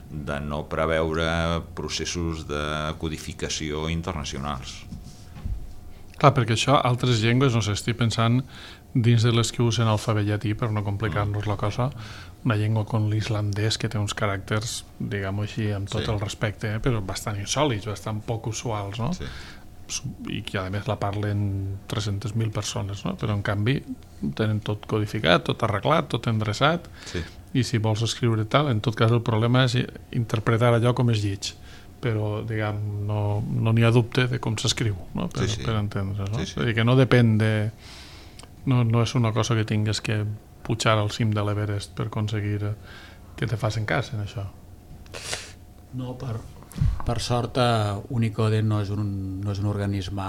de no preveure processos de codificació internacionals. Clar, perquè això, altres llengües, no sé, estic pensant dins de les que usen alfabet llatí, per no complicar-nos la cosa, una llengua com l'islandès que té uns caràcters, diguem-ho així, amb tot sí. el respecte, eh, però bastant insòlits, bastant poc usuals, no? Sí. I que a més la parlen tres-centes mil persones, no? Però en canvi tenen tot codificat, tot arreglat, tot endreçat, sí. I si vols escriure tal, en tot cas el problema és interpretar allò com és lleig, però diguem, no n'hi no ha dubte de com s'escriu, no? Per, sí, sí. per entendre's, no? Sí, sí. És a dir, que no depèn de... No, no és una cosa que tingues que pujar al cim de l'Everest per aconseguir que te facin cas en això. No, per, per sort Unicode no és, un, no és un organisme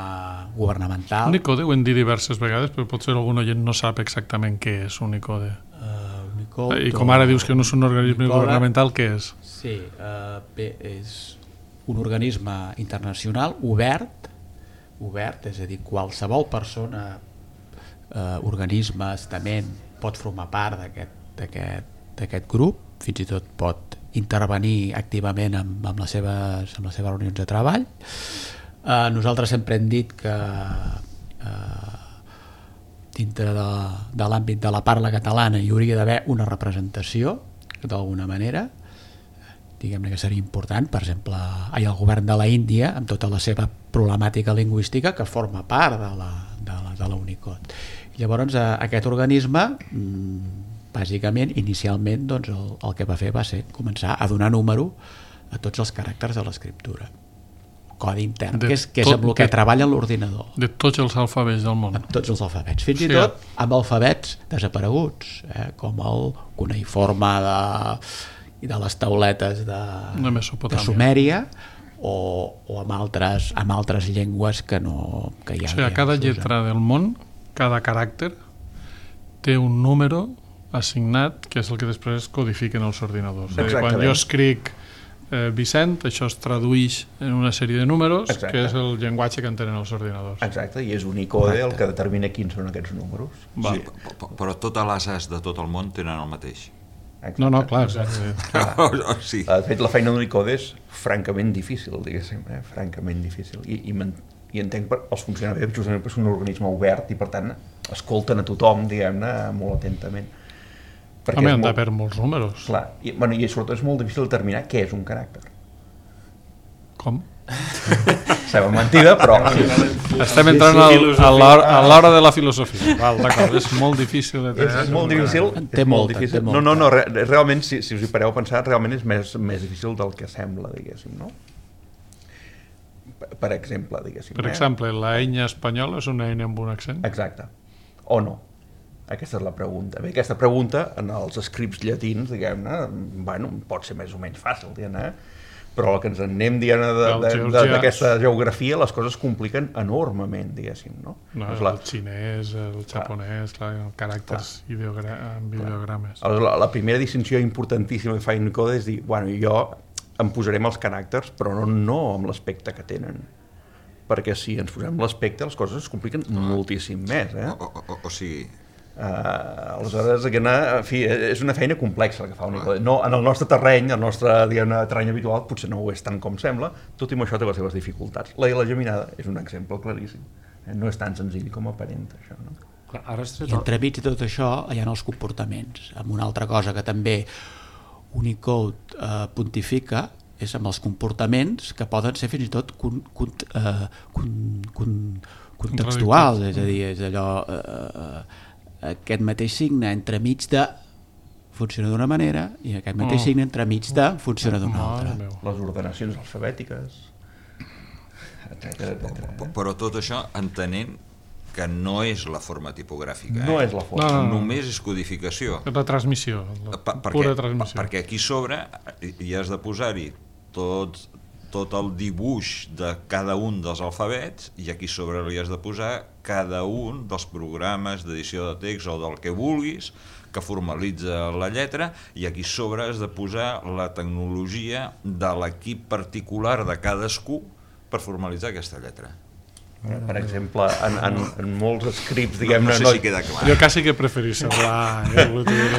governamental. Unicode ho hem dit diverses vegades, però potser algun oient no sap exactament què és Unicode. Uh, Unicode I com ara dius que no és un organisme Unicode, governamental, què és? Sí, uh, bé, és un organisme internacional obert, obert, és a dir, qualsevol persona, uh, organisme, estament, pot formar part d'aquest grup, fins i tot pot intervenir activament amb, amb, les seves, amb les seves reunions de treball. Uh, nosaltres sempre hem dit que uh, dintre de, de l'àmbit de la parla catalana hi hauria d'haver una representació d'alguna manera, diguem-ne que seria important, per exemple, hi ha el govern de la Índia amb tota la seva problemàtica lingüística que forma part de la, de la, de la Unicode. Llavors aquest organisme bàsicament, inicialment doncs, el, el que va fer va ser començar a donar número a tots els caràcters de l'escriptura, codi intern, de que és, que és amb el que de, treballa l'ordinador, de tots els alfabets del món, amb tots els alfabets, fins sí, i tot amb alfabets desapareguts, eh, com el cuneïforme de, de les tauletes de, de Sumèria, o, o amb, altres, amb altres llengües que no que ja, o sigui, a cada lletra del món, cada caràcter té un número assignat, que és el que després codifiquen els ordinadors. Quan jo escric eh, Vicent, això es tradueix en una sèrie de números. Exacte. Que és el llenguatge que entenen els ordinadors. Exacte, i és Unicode el que determina quins són aquests números. Sí, però totes les As de tot el món tenen el mateix. Exacte. No, no, clar. clar. Sí. De fet, la feina d'Unicode és francament difícil, diguéssim, eh? francament difícil. I, i, i entenc que els funcionaris justament és un organisme obert i, per tant, escolten a tothom, diguem-ne, molt atentament. Perquè Home, han de per molts números. Clar, i, bueno, i sobretot és molt difícil determinar què és un caràcter. Com? Sembla mentida, però... Estem entrant al, a l'hora de la filosofia. Val, d'acord, és molt difícil. De és molt difícil. Té és molt molta, difícil. Té no, no, no, realment, si, si us hi pareu a pensar, realment és més, més difícil del que sembla, diguéssim, no? Per exemple, diguéssim. Per exemple, la enya espanyola és una enya amb un accent? Exacte. O no? Aquesta és la pregunta. Bé, aquesta pregunta, en els scripts llatins, diguem-ne, bueno, pot ser més o menys fàcil, diguem-ne, però el que ens en anem dient d'aquesta geografia, les coses compliquen enormement, diguéssim, no? No, el la... xinès, el japonès, clar, clar, caràcters ideogra... amb ideogrames. La, la primera distinció importantíssima que fa Unicode és dir, bueno, jo em posarem els caràcters, però no, no amb l'aspecte que tenen. Perquè si ens posem l'aspecte, les coses es compliquen moltíssim més, eh? O, o, o, o sigui... Uh, aleshores, en fi, és una feina complexa el que fa Unicode. No, en el nostre terreny, el nostre terreny habitual, potser no ho és tant com sembla, tot i amb això té les seves dificultats. La I la geminada és un exemple claríssim. No és tan senzill com aparenta, això, no? Clar, ara I entremig de tot això hi ha els comportaments, amb una altra cosa que també Unicode eh, pontifica és amb els comportaments que poden ser fins i tot con, con, eh, con, con, contextuals, és a dir, és allò... Eh, aquest mateix signe entremig de funciona d'una manera i aquest mateix signe entremig de funciona d'una altra. Les ordenacions alfabètiques, etcètera, etcètera. Eh? Però tot això entenent que no és la forma tipogràfica. Eh? No és la forma. No, no, no. Només és codificació. És la transmissió, la per, pura perquè, transmissió. Perquè aquí sobre hi has de posar-hi tots tot el dibuix de cada un dels alfabets, i aquí sobre li has de posar cada un dels programes d'edició de text o del que vulguis que formalitza la lletra, i aquí sobre has de posar la tecnologia de l'equip particular de cadascú per formalitzar aquesta lletra. Per exemple, en, en, en molts scripts, diguem-ne... No, no sé si queda clar. Jo quasi que preferís semblar eh,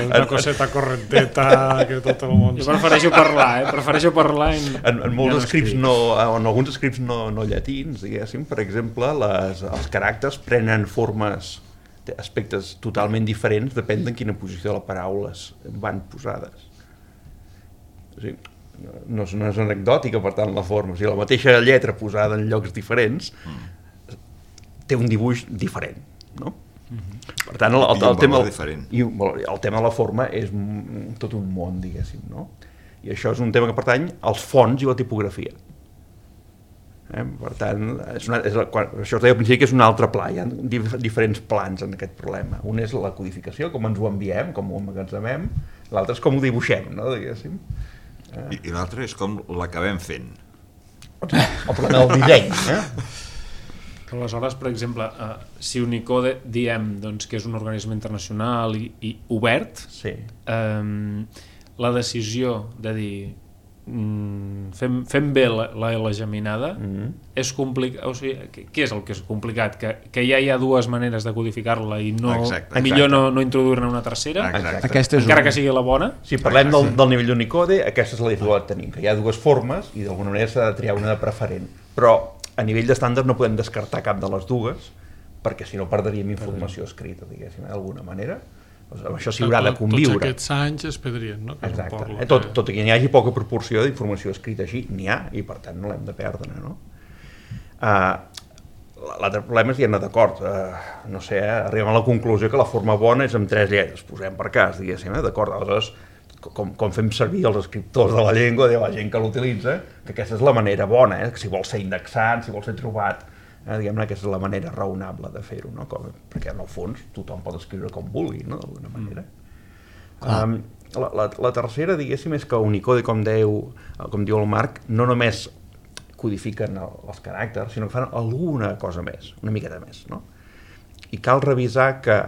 una coseta correnteta que tot el món... Jo prefereixo parlar, eh? Prefereixo parlar... En, en, en molts ja scripts, no, en alguns scripts no, no llatins, diguéssim, per exemple, les, els caràcters prenen formes, aspectes totalment diferents, depèn de quina posició de les paraules van posades. O sigui, no és, no és anecdòtica, per tant, la forma. O sigui, la mateixa lletra posada en llocs diferents mm. té un dibuix diferent, no? Mm-hmm. Per tant, el, el, el, tema, el, i el tema de la forma és tot un món, diguéssim, no? I això és un tema que pertany als fonts i la tipografia. Eh? Per tant, és una, és, quan, això es deia al principi que és un altre pla, hi ha dif, diferents plans en aquest problema. Un és la codificació, com ens ho enviem, com ho emmagatzemem, l'altre és com ho dibuixem, no? Diguéssim. Eh? I, i l'altre és com l'acabem fent. El problema del disseny, eh? Aleshores, per exemple, uh, si Unicode diem doncs, que és un organisme internacional i, i obert, sí. um, la decisió de dir mm, fem, fem bé la, la L geminada mm-hmm. és complicat, o sigui, què és el que és complicat? Que, que ja hi ha dues maneres de codificar-la i no, exacte, millor exacte. no, no introduir-ne una tercera, Aquesta és encara un... que sigui la bona. Si parlem del, del nivell d'Unicode, aquesta és la dificultat que tenim, que hi ha dues formes i d'alguna manera s'ha de triar una de preferent, però a nivell d'estàndard no podem descartar cap de les dues, perquè si no perdríem informació escrita, diguéssim, d'alguna manera. Doncs amb això s'hi haurà de conviure. Tots aquests anys es perdrien, no? Que exacte. Eh, tot, tot i que n'hi hagi poca proporció d'informació escrita així, n'hi ha, i per tant no l'hem de perdre, no? Uh, L'altre problema és dir-ne d'acord, uh, no sé, eh, arribem a la conclusió que la forma bona és amb tres lletres, posem per cas, diguéssim, eh? D'acord, aleshores Com, com fem servir els escriptors de la llengua, de la gent que l'utilitza, que aquesta és la manera bona, eh? Que si vol ser indexat, si vol ser trobat, eh? diguem-ne, aquesta és la manera raonable de fer-ho, no? Com, perquè en el fons tothom pot escriure com vulgui, no? D'alguna manera. Mm. Um, la, la, la tercera, diguéssim, és que Unicode, com, deu, com diu el Marc, no només codifiquen el, els caràcters, sinó que fan alguna cosa més, una miqueta més, no? I cal revisar que,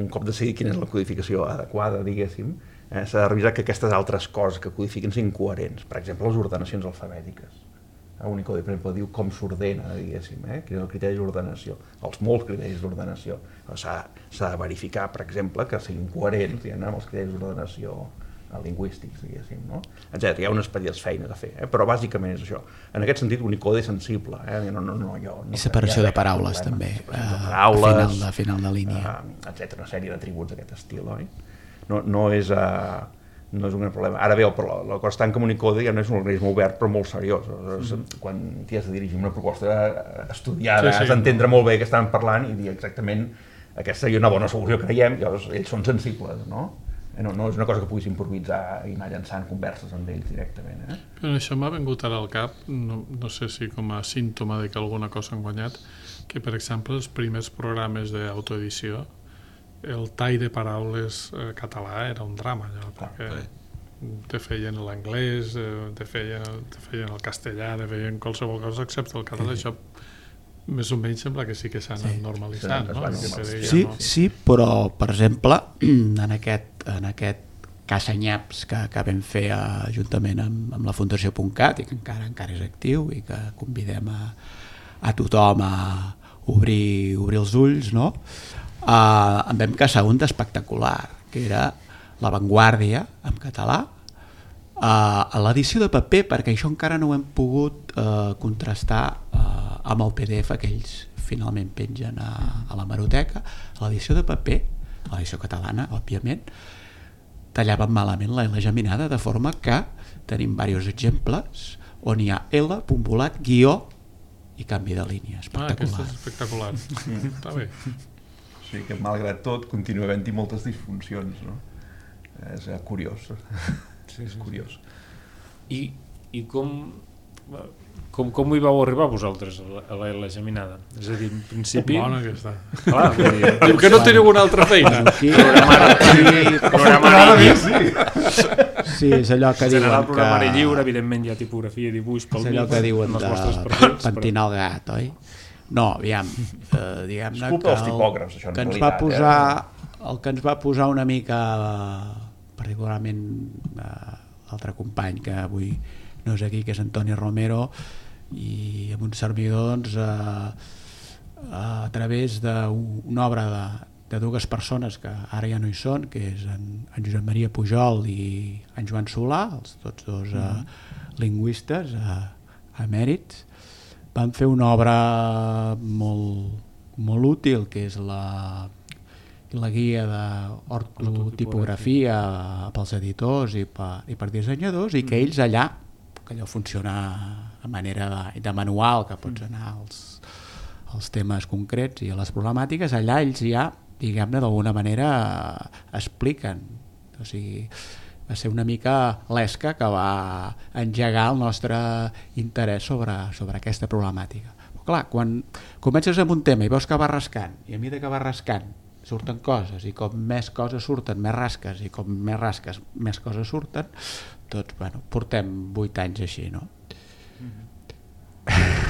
un cop decidir quina és la codificació adequada, diguéssim, Eh, s'ha de revisar que aquestes altres coses que codifiquen siguin coherents. Per exemple, les ordenacions alfabètiques. A Unicode, per exemple, diu com s'ordena, diguéssim, eh? Quin és el criteri d'ordenació. Els molts criteris d'ordenació. S'ha de verificar, per exemple, que siguin coherents diguem, amb els criteris d'ordenació lingüístics, diguéssim, no? Etcètera. Hi ha unes petites feines a fer, eh? Però bàsicament és això. En aquest sentit, Unicode és sensible. Eh? No, no, no, jo, no I separació de paraules, també. Separació de paraules, a final de, final de línia. Uh, etcètera. Una sèrie d'atributs d'aquest estil, oi? No, no, és, uh, no és un gran problema. Ara bé, la, la cosa està en que Unicode ja no és un organisme obert però molt seriós. Mm-hmm. Quan t'hi has de dirigir una proposta estudiada, sí, sí, has d'entendre molt bé què estan parlant i dir exactament aquesta seria una bona solució, creiem, llavors ells són sensibles, no? No, no és una cosa que puguis improvisar i anar llançant converses amb ells directament. Eh? Però això m'ha vingut ara al cap, no, no sé si com a símptoma de que alguna cosa han guanyat, que per exemple els primers programes d'autoedició el tall de paraules eh, català era un drama, allò, perquè ah, te feien l'anglès, eh, te, feien, te feien el castellà, te feien qualsevol cosa excepte el català. Això més o menys sembla que sí que s'han sí. normalitzat, no? Sí, sí, sí, però, per exemple, en aquest, en aquest caça-nyaps que, que vam fer uh, juntament amb, amb la Fundació .cat i que encara encara és actiu i que convidem a, a tothom a obrir, obrir els ulls, no? Uh, en vam caçar un d'espectacular, que era La Vanguardia, en català, uh, a l'edició de paper, perquè això encara no ho hem pogut uh, contrastar uh, amb el P D F que ells finalment pengen a, a la Hemeroteca. A l'edició de paper, a l'edició catalana, òbviament, tallaven malament la L geminada, de forma que tenim diversos exemples on hi ha L, punt volat, guió i canvi de línia. Espectacular. Ah, aquest és espectacular. Mm, està bé. O sigui que, malgrat tot, continua havent-hi moltes disfuncions, no? És curiós. Sí, sí, és curiós. I, i com, Com, com hi vau arribar vosaltres a la L geminada? És a dir, en principi... Bona aquesta. Clar, vull dir... Diu que no teniu una altra feina. Programari... Sí, és allò que diuen general que... programari lliure, evidentment hi ha tipografia i dibuix pel És allò mig, que diuen en els de vostres perfils, pentinar el gat, oi? No, aviam, eh, diguem-ne És culpa que, dels tipògrafs, això, en que ens realitat, va posar, el que ens va posar una mica, particularment eh, l'altre company que avui no és aquí, que és Antoni Romero, i amb un servidor doncs, eh, a través d'una obra de, de dues persones que ara ja no hi són, que és en, en Josep Maria Pujol i en Joan Solà, els tots dos eh, lingüistes eh, emèrits. Van fer una obra molt, molt útil, que és la, la guia d'ortotipografia pels editors i per, i per dissenyadors, i que ells allà, que allò funciona a manera de, de manual, que pots anar als, als temes concrets i a les problemàtiques, allà ells ja, diguem-ne, d'alguna manera expliquen. O sigui, va ser una mica l'esca que va engegar el nostre interès sobre, sobre aquesta problemàtica. Però clar, quan comences amb un tema i veus que va rascant, i a mesura que va rascant surten coses, i com més coses surten, més rasques, i com més rasques, més coses surten, doncs, bueno, portem vuit anys així, no?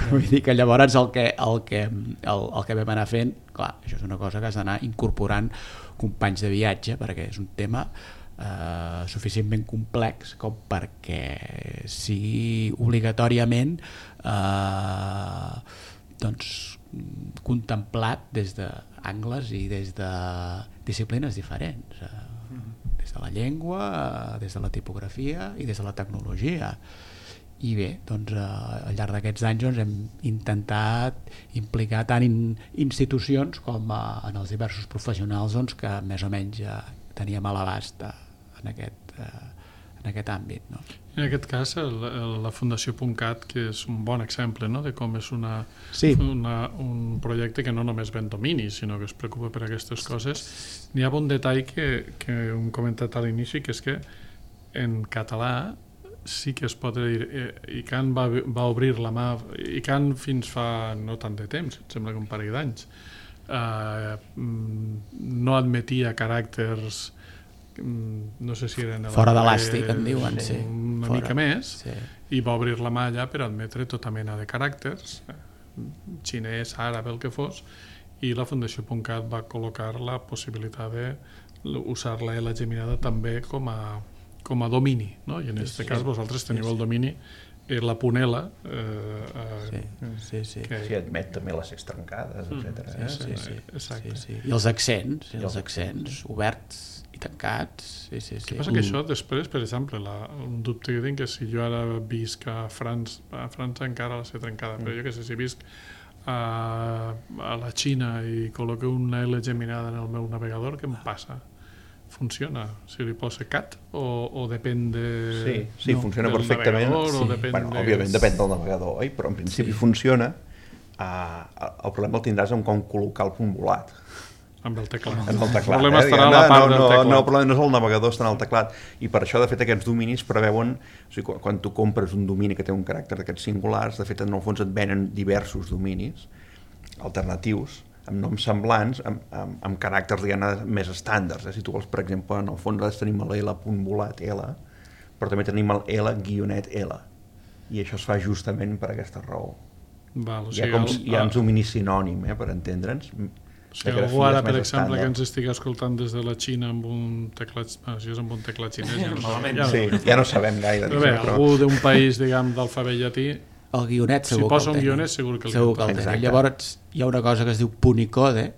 Vull dir que llavors el que, el, que, el, el que vam anar fent, clar, això és una cosa que has d'anar incorporant companys de viatge, perquè és un tema eh, suficientment complex com perquè sigui obligatòriament eh, doncs, contemplat des d'angles i des de disciplines diferents, eh, des de la llengua, eh, des de la tipografia i des de la tecnologia. I bé, doncs, eh, al llarg d'aquests anys doncs, hem intentat implicar tant in, institucions com eh, en els diversos professionals doncs, que més o menys eh, teníem a l'abast eh, en, aquest, eh, en aquest àmbit. No? En aquest cas, el, el, la Fundació .cat, que és un bon exemple, no?, de com és una, sí. una, un projecte que no només ven domini, sinó que es preocupa per aquestes coses. N'hi ha un detall que, que hem comentat a l'inici, que és que en català sí que es pot dir, eh, ICANN va, va obrir la mà, ICANN fins fa no tant de temps, em sembla que un parell d'anys, eh, no admetia caràcters, no sé si eren fora d'elàstic, en diuen, sí. Una fora. mica més, sí. I va obrir la mà allà per admetre tota mena de caràcters, xinès, àrab, el que fos, i la Fundació .cat va col·locar la possibilitat d'usar la L geminada també com a com a domini, no? I en aquest sí, cas vosaltres teniu sí, sí. el domini eh, la Punela eh, eh, sí, sí, sí. Que... sí, admet també les extrancades, etcètera. Mm, sí, sí, sí. Exacte. Sí, sí. I els accents, i els accents oberts i tancats. Sí, sí, sí. Què passa que això després, per exemple, la, un dubte que tinc, que si jo ara visc a França, a França encara la sé trencada, mm. però jo que sé, si visc a, a la Xina i col·loco una L geminada en el meu navegador, què em passa? Funciona? Si li posa cat o, o depèn de... Sí, sí no, funciona perfectament. Sí. Depèn bueno, de... Òbviament depèn del navegador, oi? Però en principi sí. funciona. Uh, el problema el tindràs amb com col·locar el punt volat. Amb el teclat. En el teclat. El problema eh? estarà a la part no, del no, teclat. No, el problema no és el navegador, està en el teclat. I per això, de fet, aquests dominis preveuen... O sigui, quan, quan tu compres un domini que té un caràcter d'aquests singulars, de fet, en el fons et venen diversos dominis alternatius, amb noms semblants, amb, amb, amb caràcters diguem, més estàndards. Eh? Si tu vols, per exemple, en el fons tenim l'L.volat L, però també tenim el L-L. I això es fa justament per aquesta raó. Val, o sigui, hi ha, com, els, hi ha un domini sinònim, eh, per entendre'ns. Si algú ara, per exemple, estàndard. Que ens estigui escoltant des de la Xina amb un teclat... Bueno, si és amb un teclat xinès... Ja no, ja no, sí, ja no sabem gaire. Però bé, però... algú d'un país, diguem, d'alfabet llatí... El guionet segur si posa un guionet segur que el segur que el té. Llavors hi ha una cosa que es diu Punicode,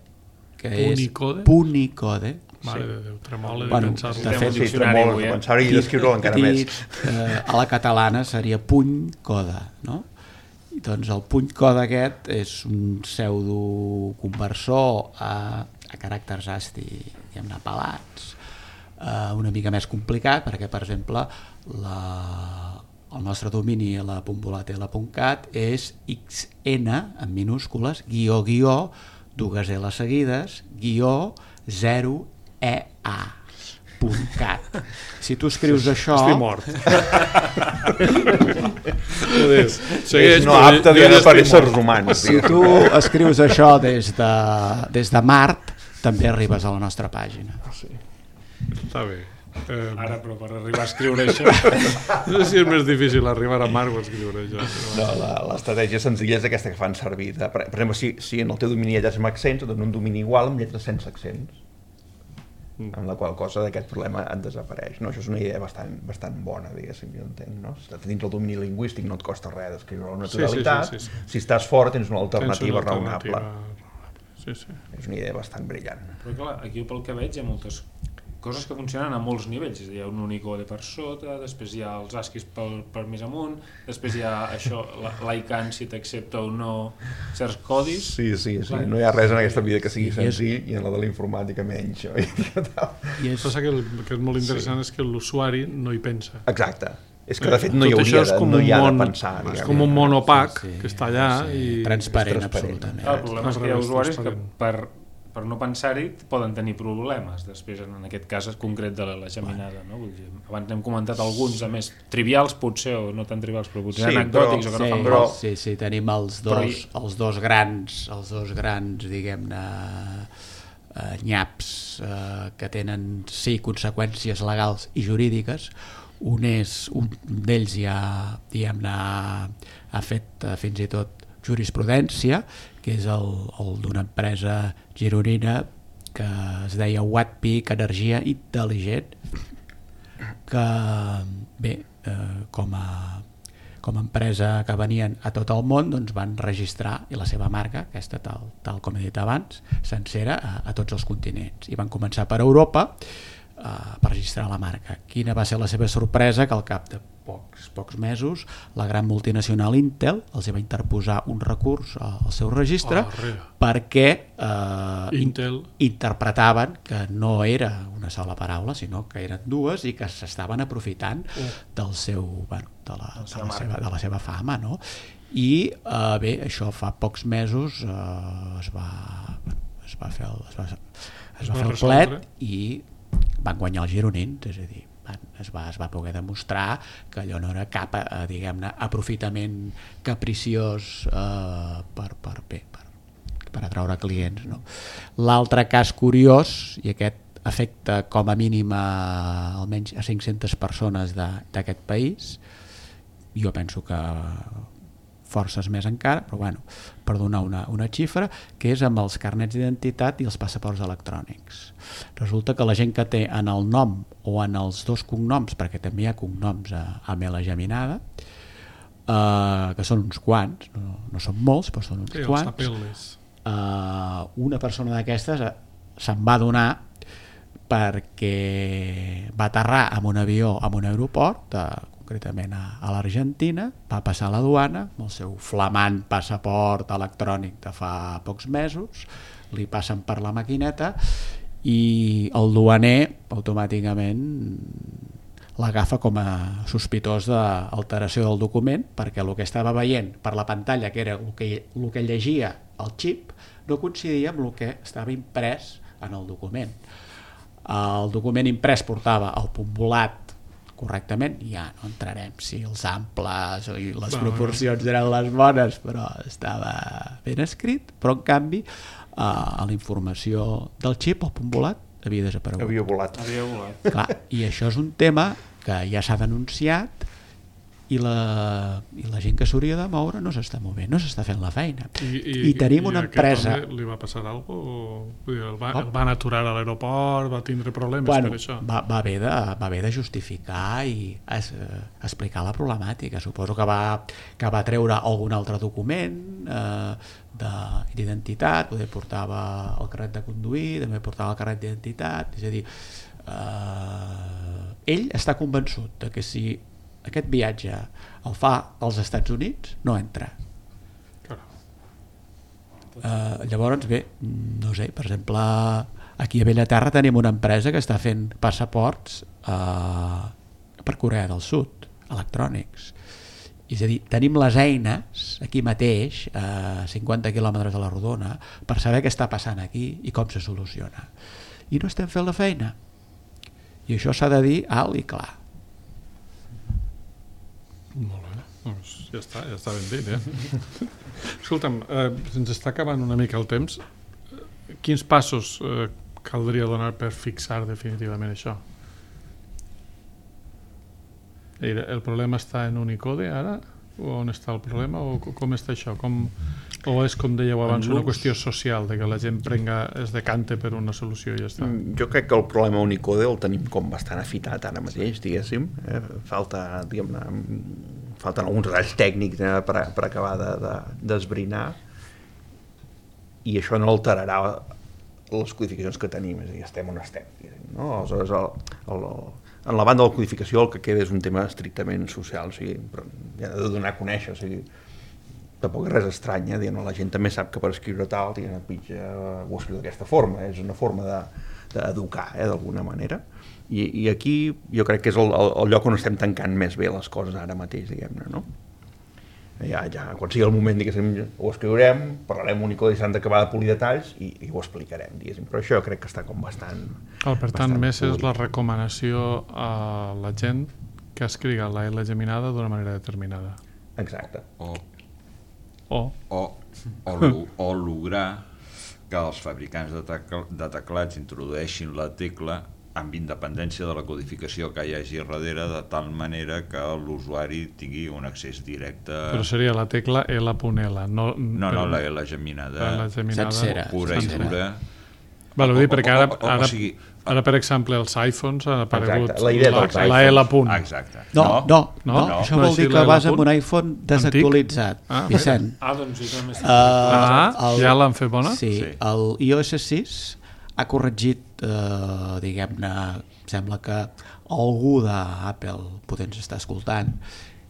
que Punicode? és Punicode. Mare de Déu, tremola de bueno, pensar-lo. De fet, sí, tremola de pensar-ho i d'escriure-ho encara dit, més. Eh, a la catalana seria puny coda, no? I doncs el puny coda aquest és un pseudo-conversor a, a caràcters ASCII, diguem-ne, pelats, eh, una mica més complicat, perquè, per exemple, la... el nostre domini a la .volat.cat és xn, en minúscules, guió, guió, dues L seguides, guió, zero, ea, punt cat. Si tu escrius això... Estic mort. És no apte dient per éssers humans. Si tu escrius això des de, des de Mart, també arribes a la nostra pàgina. Sí. Està bé. Eh, Ara, però per arribar a escriure això... No sé si és més difícil arribar a Marc o escriure això. No, l'estratègia senzilla és aquesta que fan servir. De, per, per exemple, si, si en el teu domini hi ha amb accents, et dona un domini igual amb lletres sense accents. Mm. Amb la qual cosa d'aquest problema et desapareix. No? Això és una idea bastant, bastant bona, diguéssim, jo entenc. No? Si estàs dins el domini lingüístic no et costa res d'escriure la naturalitat. Sí, sí, sí, sí, sí. Si estàs fort tens una alternativa, tens una alternativa raonable. Sí, sí. És una idea bastant brillant. Però clar, aquí pel que veig hi ha moltes coses que funcionen a molts nivells. És a dir, hi ha un Unicode per sota, després hi ha els ASCIIs per, per més amunt, després hi ha això, l'ICANN si t'accepta o no certs codis. Sí, sí, sí. No hi ha res en aquesta vida que sigui senzill i en la de la informàtica menys. I és... Passa que el que és molt interessant sí. és que l'usuari no hi pensa. Exacte. És que de fet no hi hauria de, no hi ha de pensar. És com un món opac sí, sí, que està allà sí, i... Transparent, absolutament. El problema és que hi ha usuaris que per per no pensar-hi poden tenir problemes després en aquest cas concret de la, la geminada, no? Vull dir, abans hem comentat alguns a més trivials potser o no tan trivials però potser sí, anecdòtics però, o que no sí, fan però... sí, sí, tenim els dos, hi... els dos grans els dos grans diguem-ne eh, nyaps eh, que tenen sí conseqüències legals i jurídiques. Un és un d'ells ja diguem-ne ha fet eh, fins i tot jurisprudència, que és el, el d'una empresa gironina que es deia Wattpeak Energia Intel·ligent, que bé, eh, com a com a empresa que venien a tot el món, doncs van registrar i la seva marca, aquesta tal, tal com he dit abans, sencera a, a tots els continents. I van començar per Europa eh, per registrar la marca. Quina va ser la seva sorpresa? Que al cap de pocs, pocs mesos la gran multinacional Intel els va interposar un recurs al seu registre oh, perquè eh, Intel. interpretaven que no era una sola paraula sinó que eren dues i que s'estaven aprofitant oh. del seu, bueno, de, la, de, la seva, de la seva fama, no? I eh, bé, això fa pocs mesos eh, es va es va fer el, es va, es es va, va fer el plet i van guanyar els gironins, és a dir Es va, es va poder demostrar que allò no era cap eh, diguem-ne aprofitament capriciós eh, per, per, bé, per, per atraure clients, no? L'altre cas curiós, i aquest afecta com a mínim a, almenys a cinc-centes persones d'aquest país, jo penso que forces més encara, però bueno, per donar una, una xifra, que és amb els carnets d'identitat i els passaports electrònics. Resulta que la gent que té en el nom o en els dos cognoms, perquè també hi ha cognoms a, a Mela Geminada, eh, que són uns quants, no, no són molts, però són uns sí, quants, eh, una persona d'aquestes se'n va donar perquè va aterrar amb un avió en un aeroport, eh, concretament a, a l'Argentina, va passar a la duana amb el seu flamant passaport electrònic de fa pocs mesos, li passen per la maquineta i el duaner automàticament l'agafa com a sospitós d'alteració del document perquè el que estava veient per la pantalla, que era el que, el que llegia el xip, no coincidia amb el que estava imprès en el document. El document imprès portava el punt volat correctament, ja no entrarem si els amples i les proporcions eren les bones, però estava ben escrit, però en canvi eh, a la informació del xip el punt volat havia desaparegut. Havia volat. Havia volat. Clar, i això és un tema que ja s'ha denunciat i la, i la gent que s'hauria de moure no s'està movent, no s'està fent la feina. I, i, I tenim una i empresa... li va passar alguna cosa? El, va, el van aturar a l'aeroport, va tindre problemes bueno, per això? Va, va, haver de, va haver de justificar i es, eh, explicar la problemàtica. Suposo que va, que va treure algun altre document eh, d'identitat, poder portava el carnet de conduir, també portava el carnet d'identitat, és a dir, eh, ell està convençut de que si aquest viatge el fa als Estats Units no entra. Uh, llavors bé, no sé, per exemple aquí a Bellaterra tenim una empresa que està fent passaports uh, per Corea del Sud electrònics, és a dir, tenim les eines aquí mateix a cinquanta quilòmetres de la rodona per saber què està passant aquí i com se soluciona, i no estem fent la feina, i això s'ha de dir alt i clar. Molt bé. Doncs ja està, ja està ben dit, eh? Escolta'm, eh, ens està acabant una mica el temps. Quins passos eh, caldria donar per fixar definitivament això? El problema està en Unicode ara? O on està el problema? O com està això? Com, o és, com dèieu abans, una qüestió social, de que la gent prenga, es decante per una solució i ja està? Jo crec que el problema Unicode el tenim com bastant afitat ara mateix, diguéssim. Eh? Falta, diguem-ne, falten alguns detalls tècnics eh, per, per acabar d'esbrinar de, i això no alterarà les codificacions que tenim, és a dir, estem on estem. No? Aleshores, el, el, en la banda de la codificació el que queda és un tema estrictament social, o sigui, però ja ha de donar a conèixer, o sigui, tampoc és res estrany, eh? Dient, la gent també sap que per escriure tal, dient, pitja, ho escriu d'aquesta forma, és una forma d'educar, de, eh, d'alguna manera, I, i aquí jo crec que és el, el, el lloc on estem tancant més bé les coses ara mateix, diguem-ne, no? Ja, ja, quan sigui el moment, diguéssim, ho escriurem, parlarem Unicode i s'han d'acabar de polir detalls i, i ho explicarem, diguéssim. Però això jo crec que està com bastant... Oh, per tant, més és la recomanació a la gent que escriga la L geminada d'una manera determinada. Exacte. O, o, o, o, o lograr que els fabricants de, tecl de teclats introdueixin la tecla amb independència de la codificació que hi hagi darrere, de tal manera que l'usuari tingui un accés directe... Però seria la tecla L punt L, no... No, no, la L geminada, la geminada sencera, pura i dura. Val, vull dir, perquè ara, o, o, ara, o sigui, ara, per exemple, els iPhones han aparegut Exacte, la idea dels la, la L punt. Exacte. No, no, no, no, no, no això no vol dir que vas amb un iPhone desactualitzat, Ah, Vicent. Ah, doncs sí, també està. Ah, el- ja l'han fet bona? Sí, Sí. el i O S sis ha corregit, eh, diguem-ne, sembla que algú d'Apple potser ens està escoltant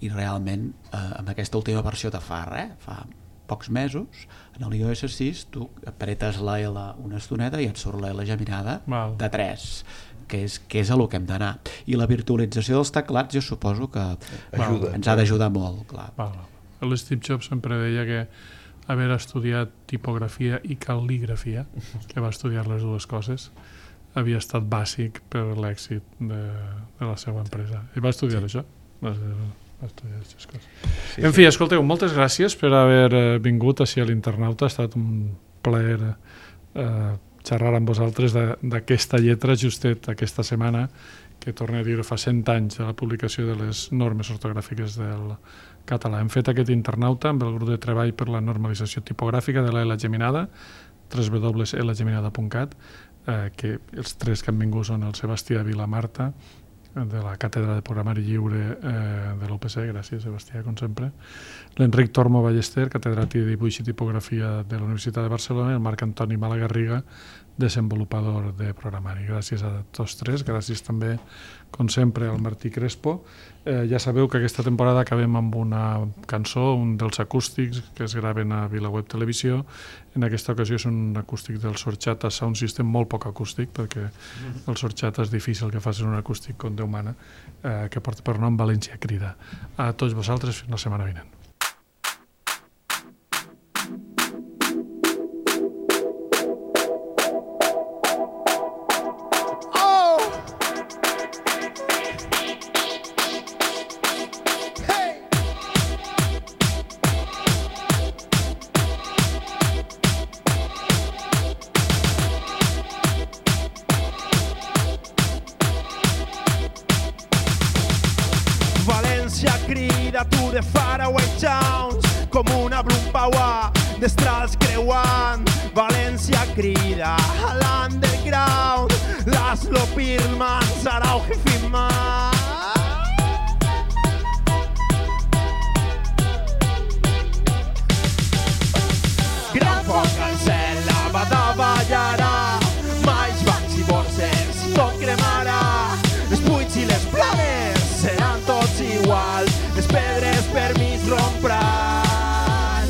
i realment eh, amb aquesta última versió de fa res, fa pocs mesos, en el i O S sis tu apretes la L una estoneta i et surt la L geminada Val. de tres, que és, que és a lo que hem d'anar. I la virtualització dels teclats jo suposo que Ajuda. ens ha d'ajudar molt, clar. Val. L'Steve Jobs sempre deia que haver estudiat tipografia i cal·ligrafia, que va estudiar les dues coses, havia estat bàsic per l'èxit de, de la seva empresa. I va estudiar sí. això. Va, va estudiar aquestes coses. Sí, en fi, escolteu, moltes gràcies per haver eh, vingut així a l'Internauta. Ha estat un plaer eh, xerrar amb vosaltres d'aquesta lletra justet aquesta setmana, que torno a dir fa cent anys de la publicació de les normes ortogràfiques del català. Hem fet aquest Internauta amb el grup de treball per la normalització tipogràfica de la L geminada, w w w punt l geminada punt cat, eh, que els tres que han vingut són el Sebastià Vilamarta, de la Càtedra de Programari Lliure eh, de l'U P C, gràcies Sebastià, com sempre, l'Enric Tormo Ballester, catedràtic de Dibuix i Tipografia de la Universitat de Barcelona, i el Marc Antoni Malagarriga, desenvolupador de programari. Gràcies a tots tres, gràcies també, com sempre, al Martí Crespo. Eh, ja sabeu que aquesta temporada acabem amb una cançó, un dels acústics que es graven a VilaWeb Televisió. En aquesta ocasió és un acústic del Sorchata Sound System, molt poc acústic, perquè el Sorchata és difícil que facin un acústic com Déu mana, eh, que porta per nom València Crida. A tots vosaltres, fins la setmana vinent. València crida to the faraway towns com una Blumenbauer d'estrals creuant. València crida a l'underground, Laszlo Pirman, Sarau Heffiman. Gran foc al cel, la va davallarà, mais bancs i borses, tot cremarà. Els buits i les planes seran tots iguals, les pedres per mig rompran.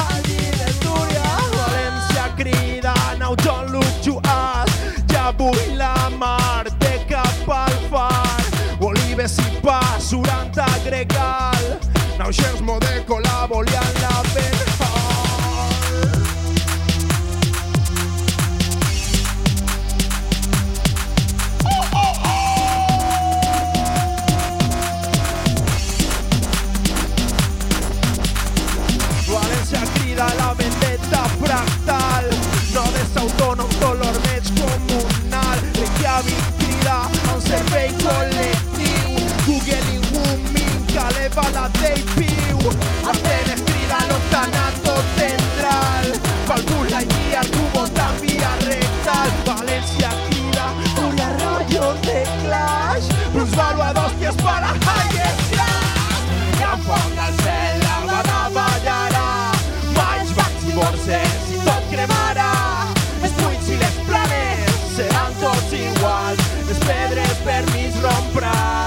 Al llit del Túria, València crida, now don't look to us, ja vull la mar de cap al far. Olives i pa, surant a Gregal, now Xers Modeco la volien la penal. si tot cremara, els buits i les planes seran tots iguals, les pedres per mig rompran.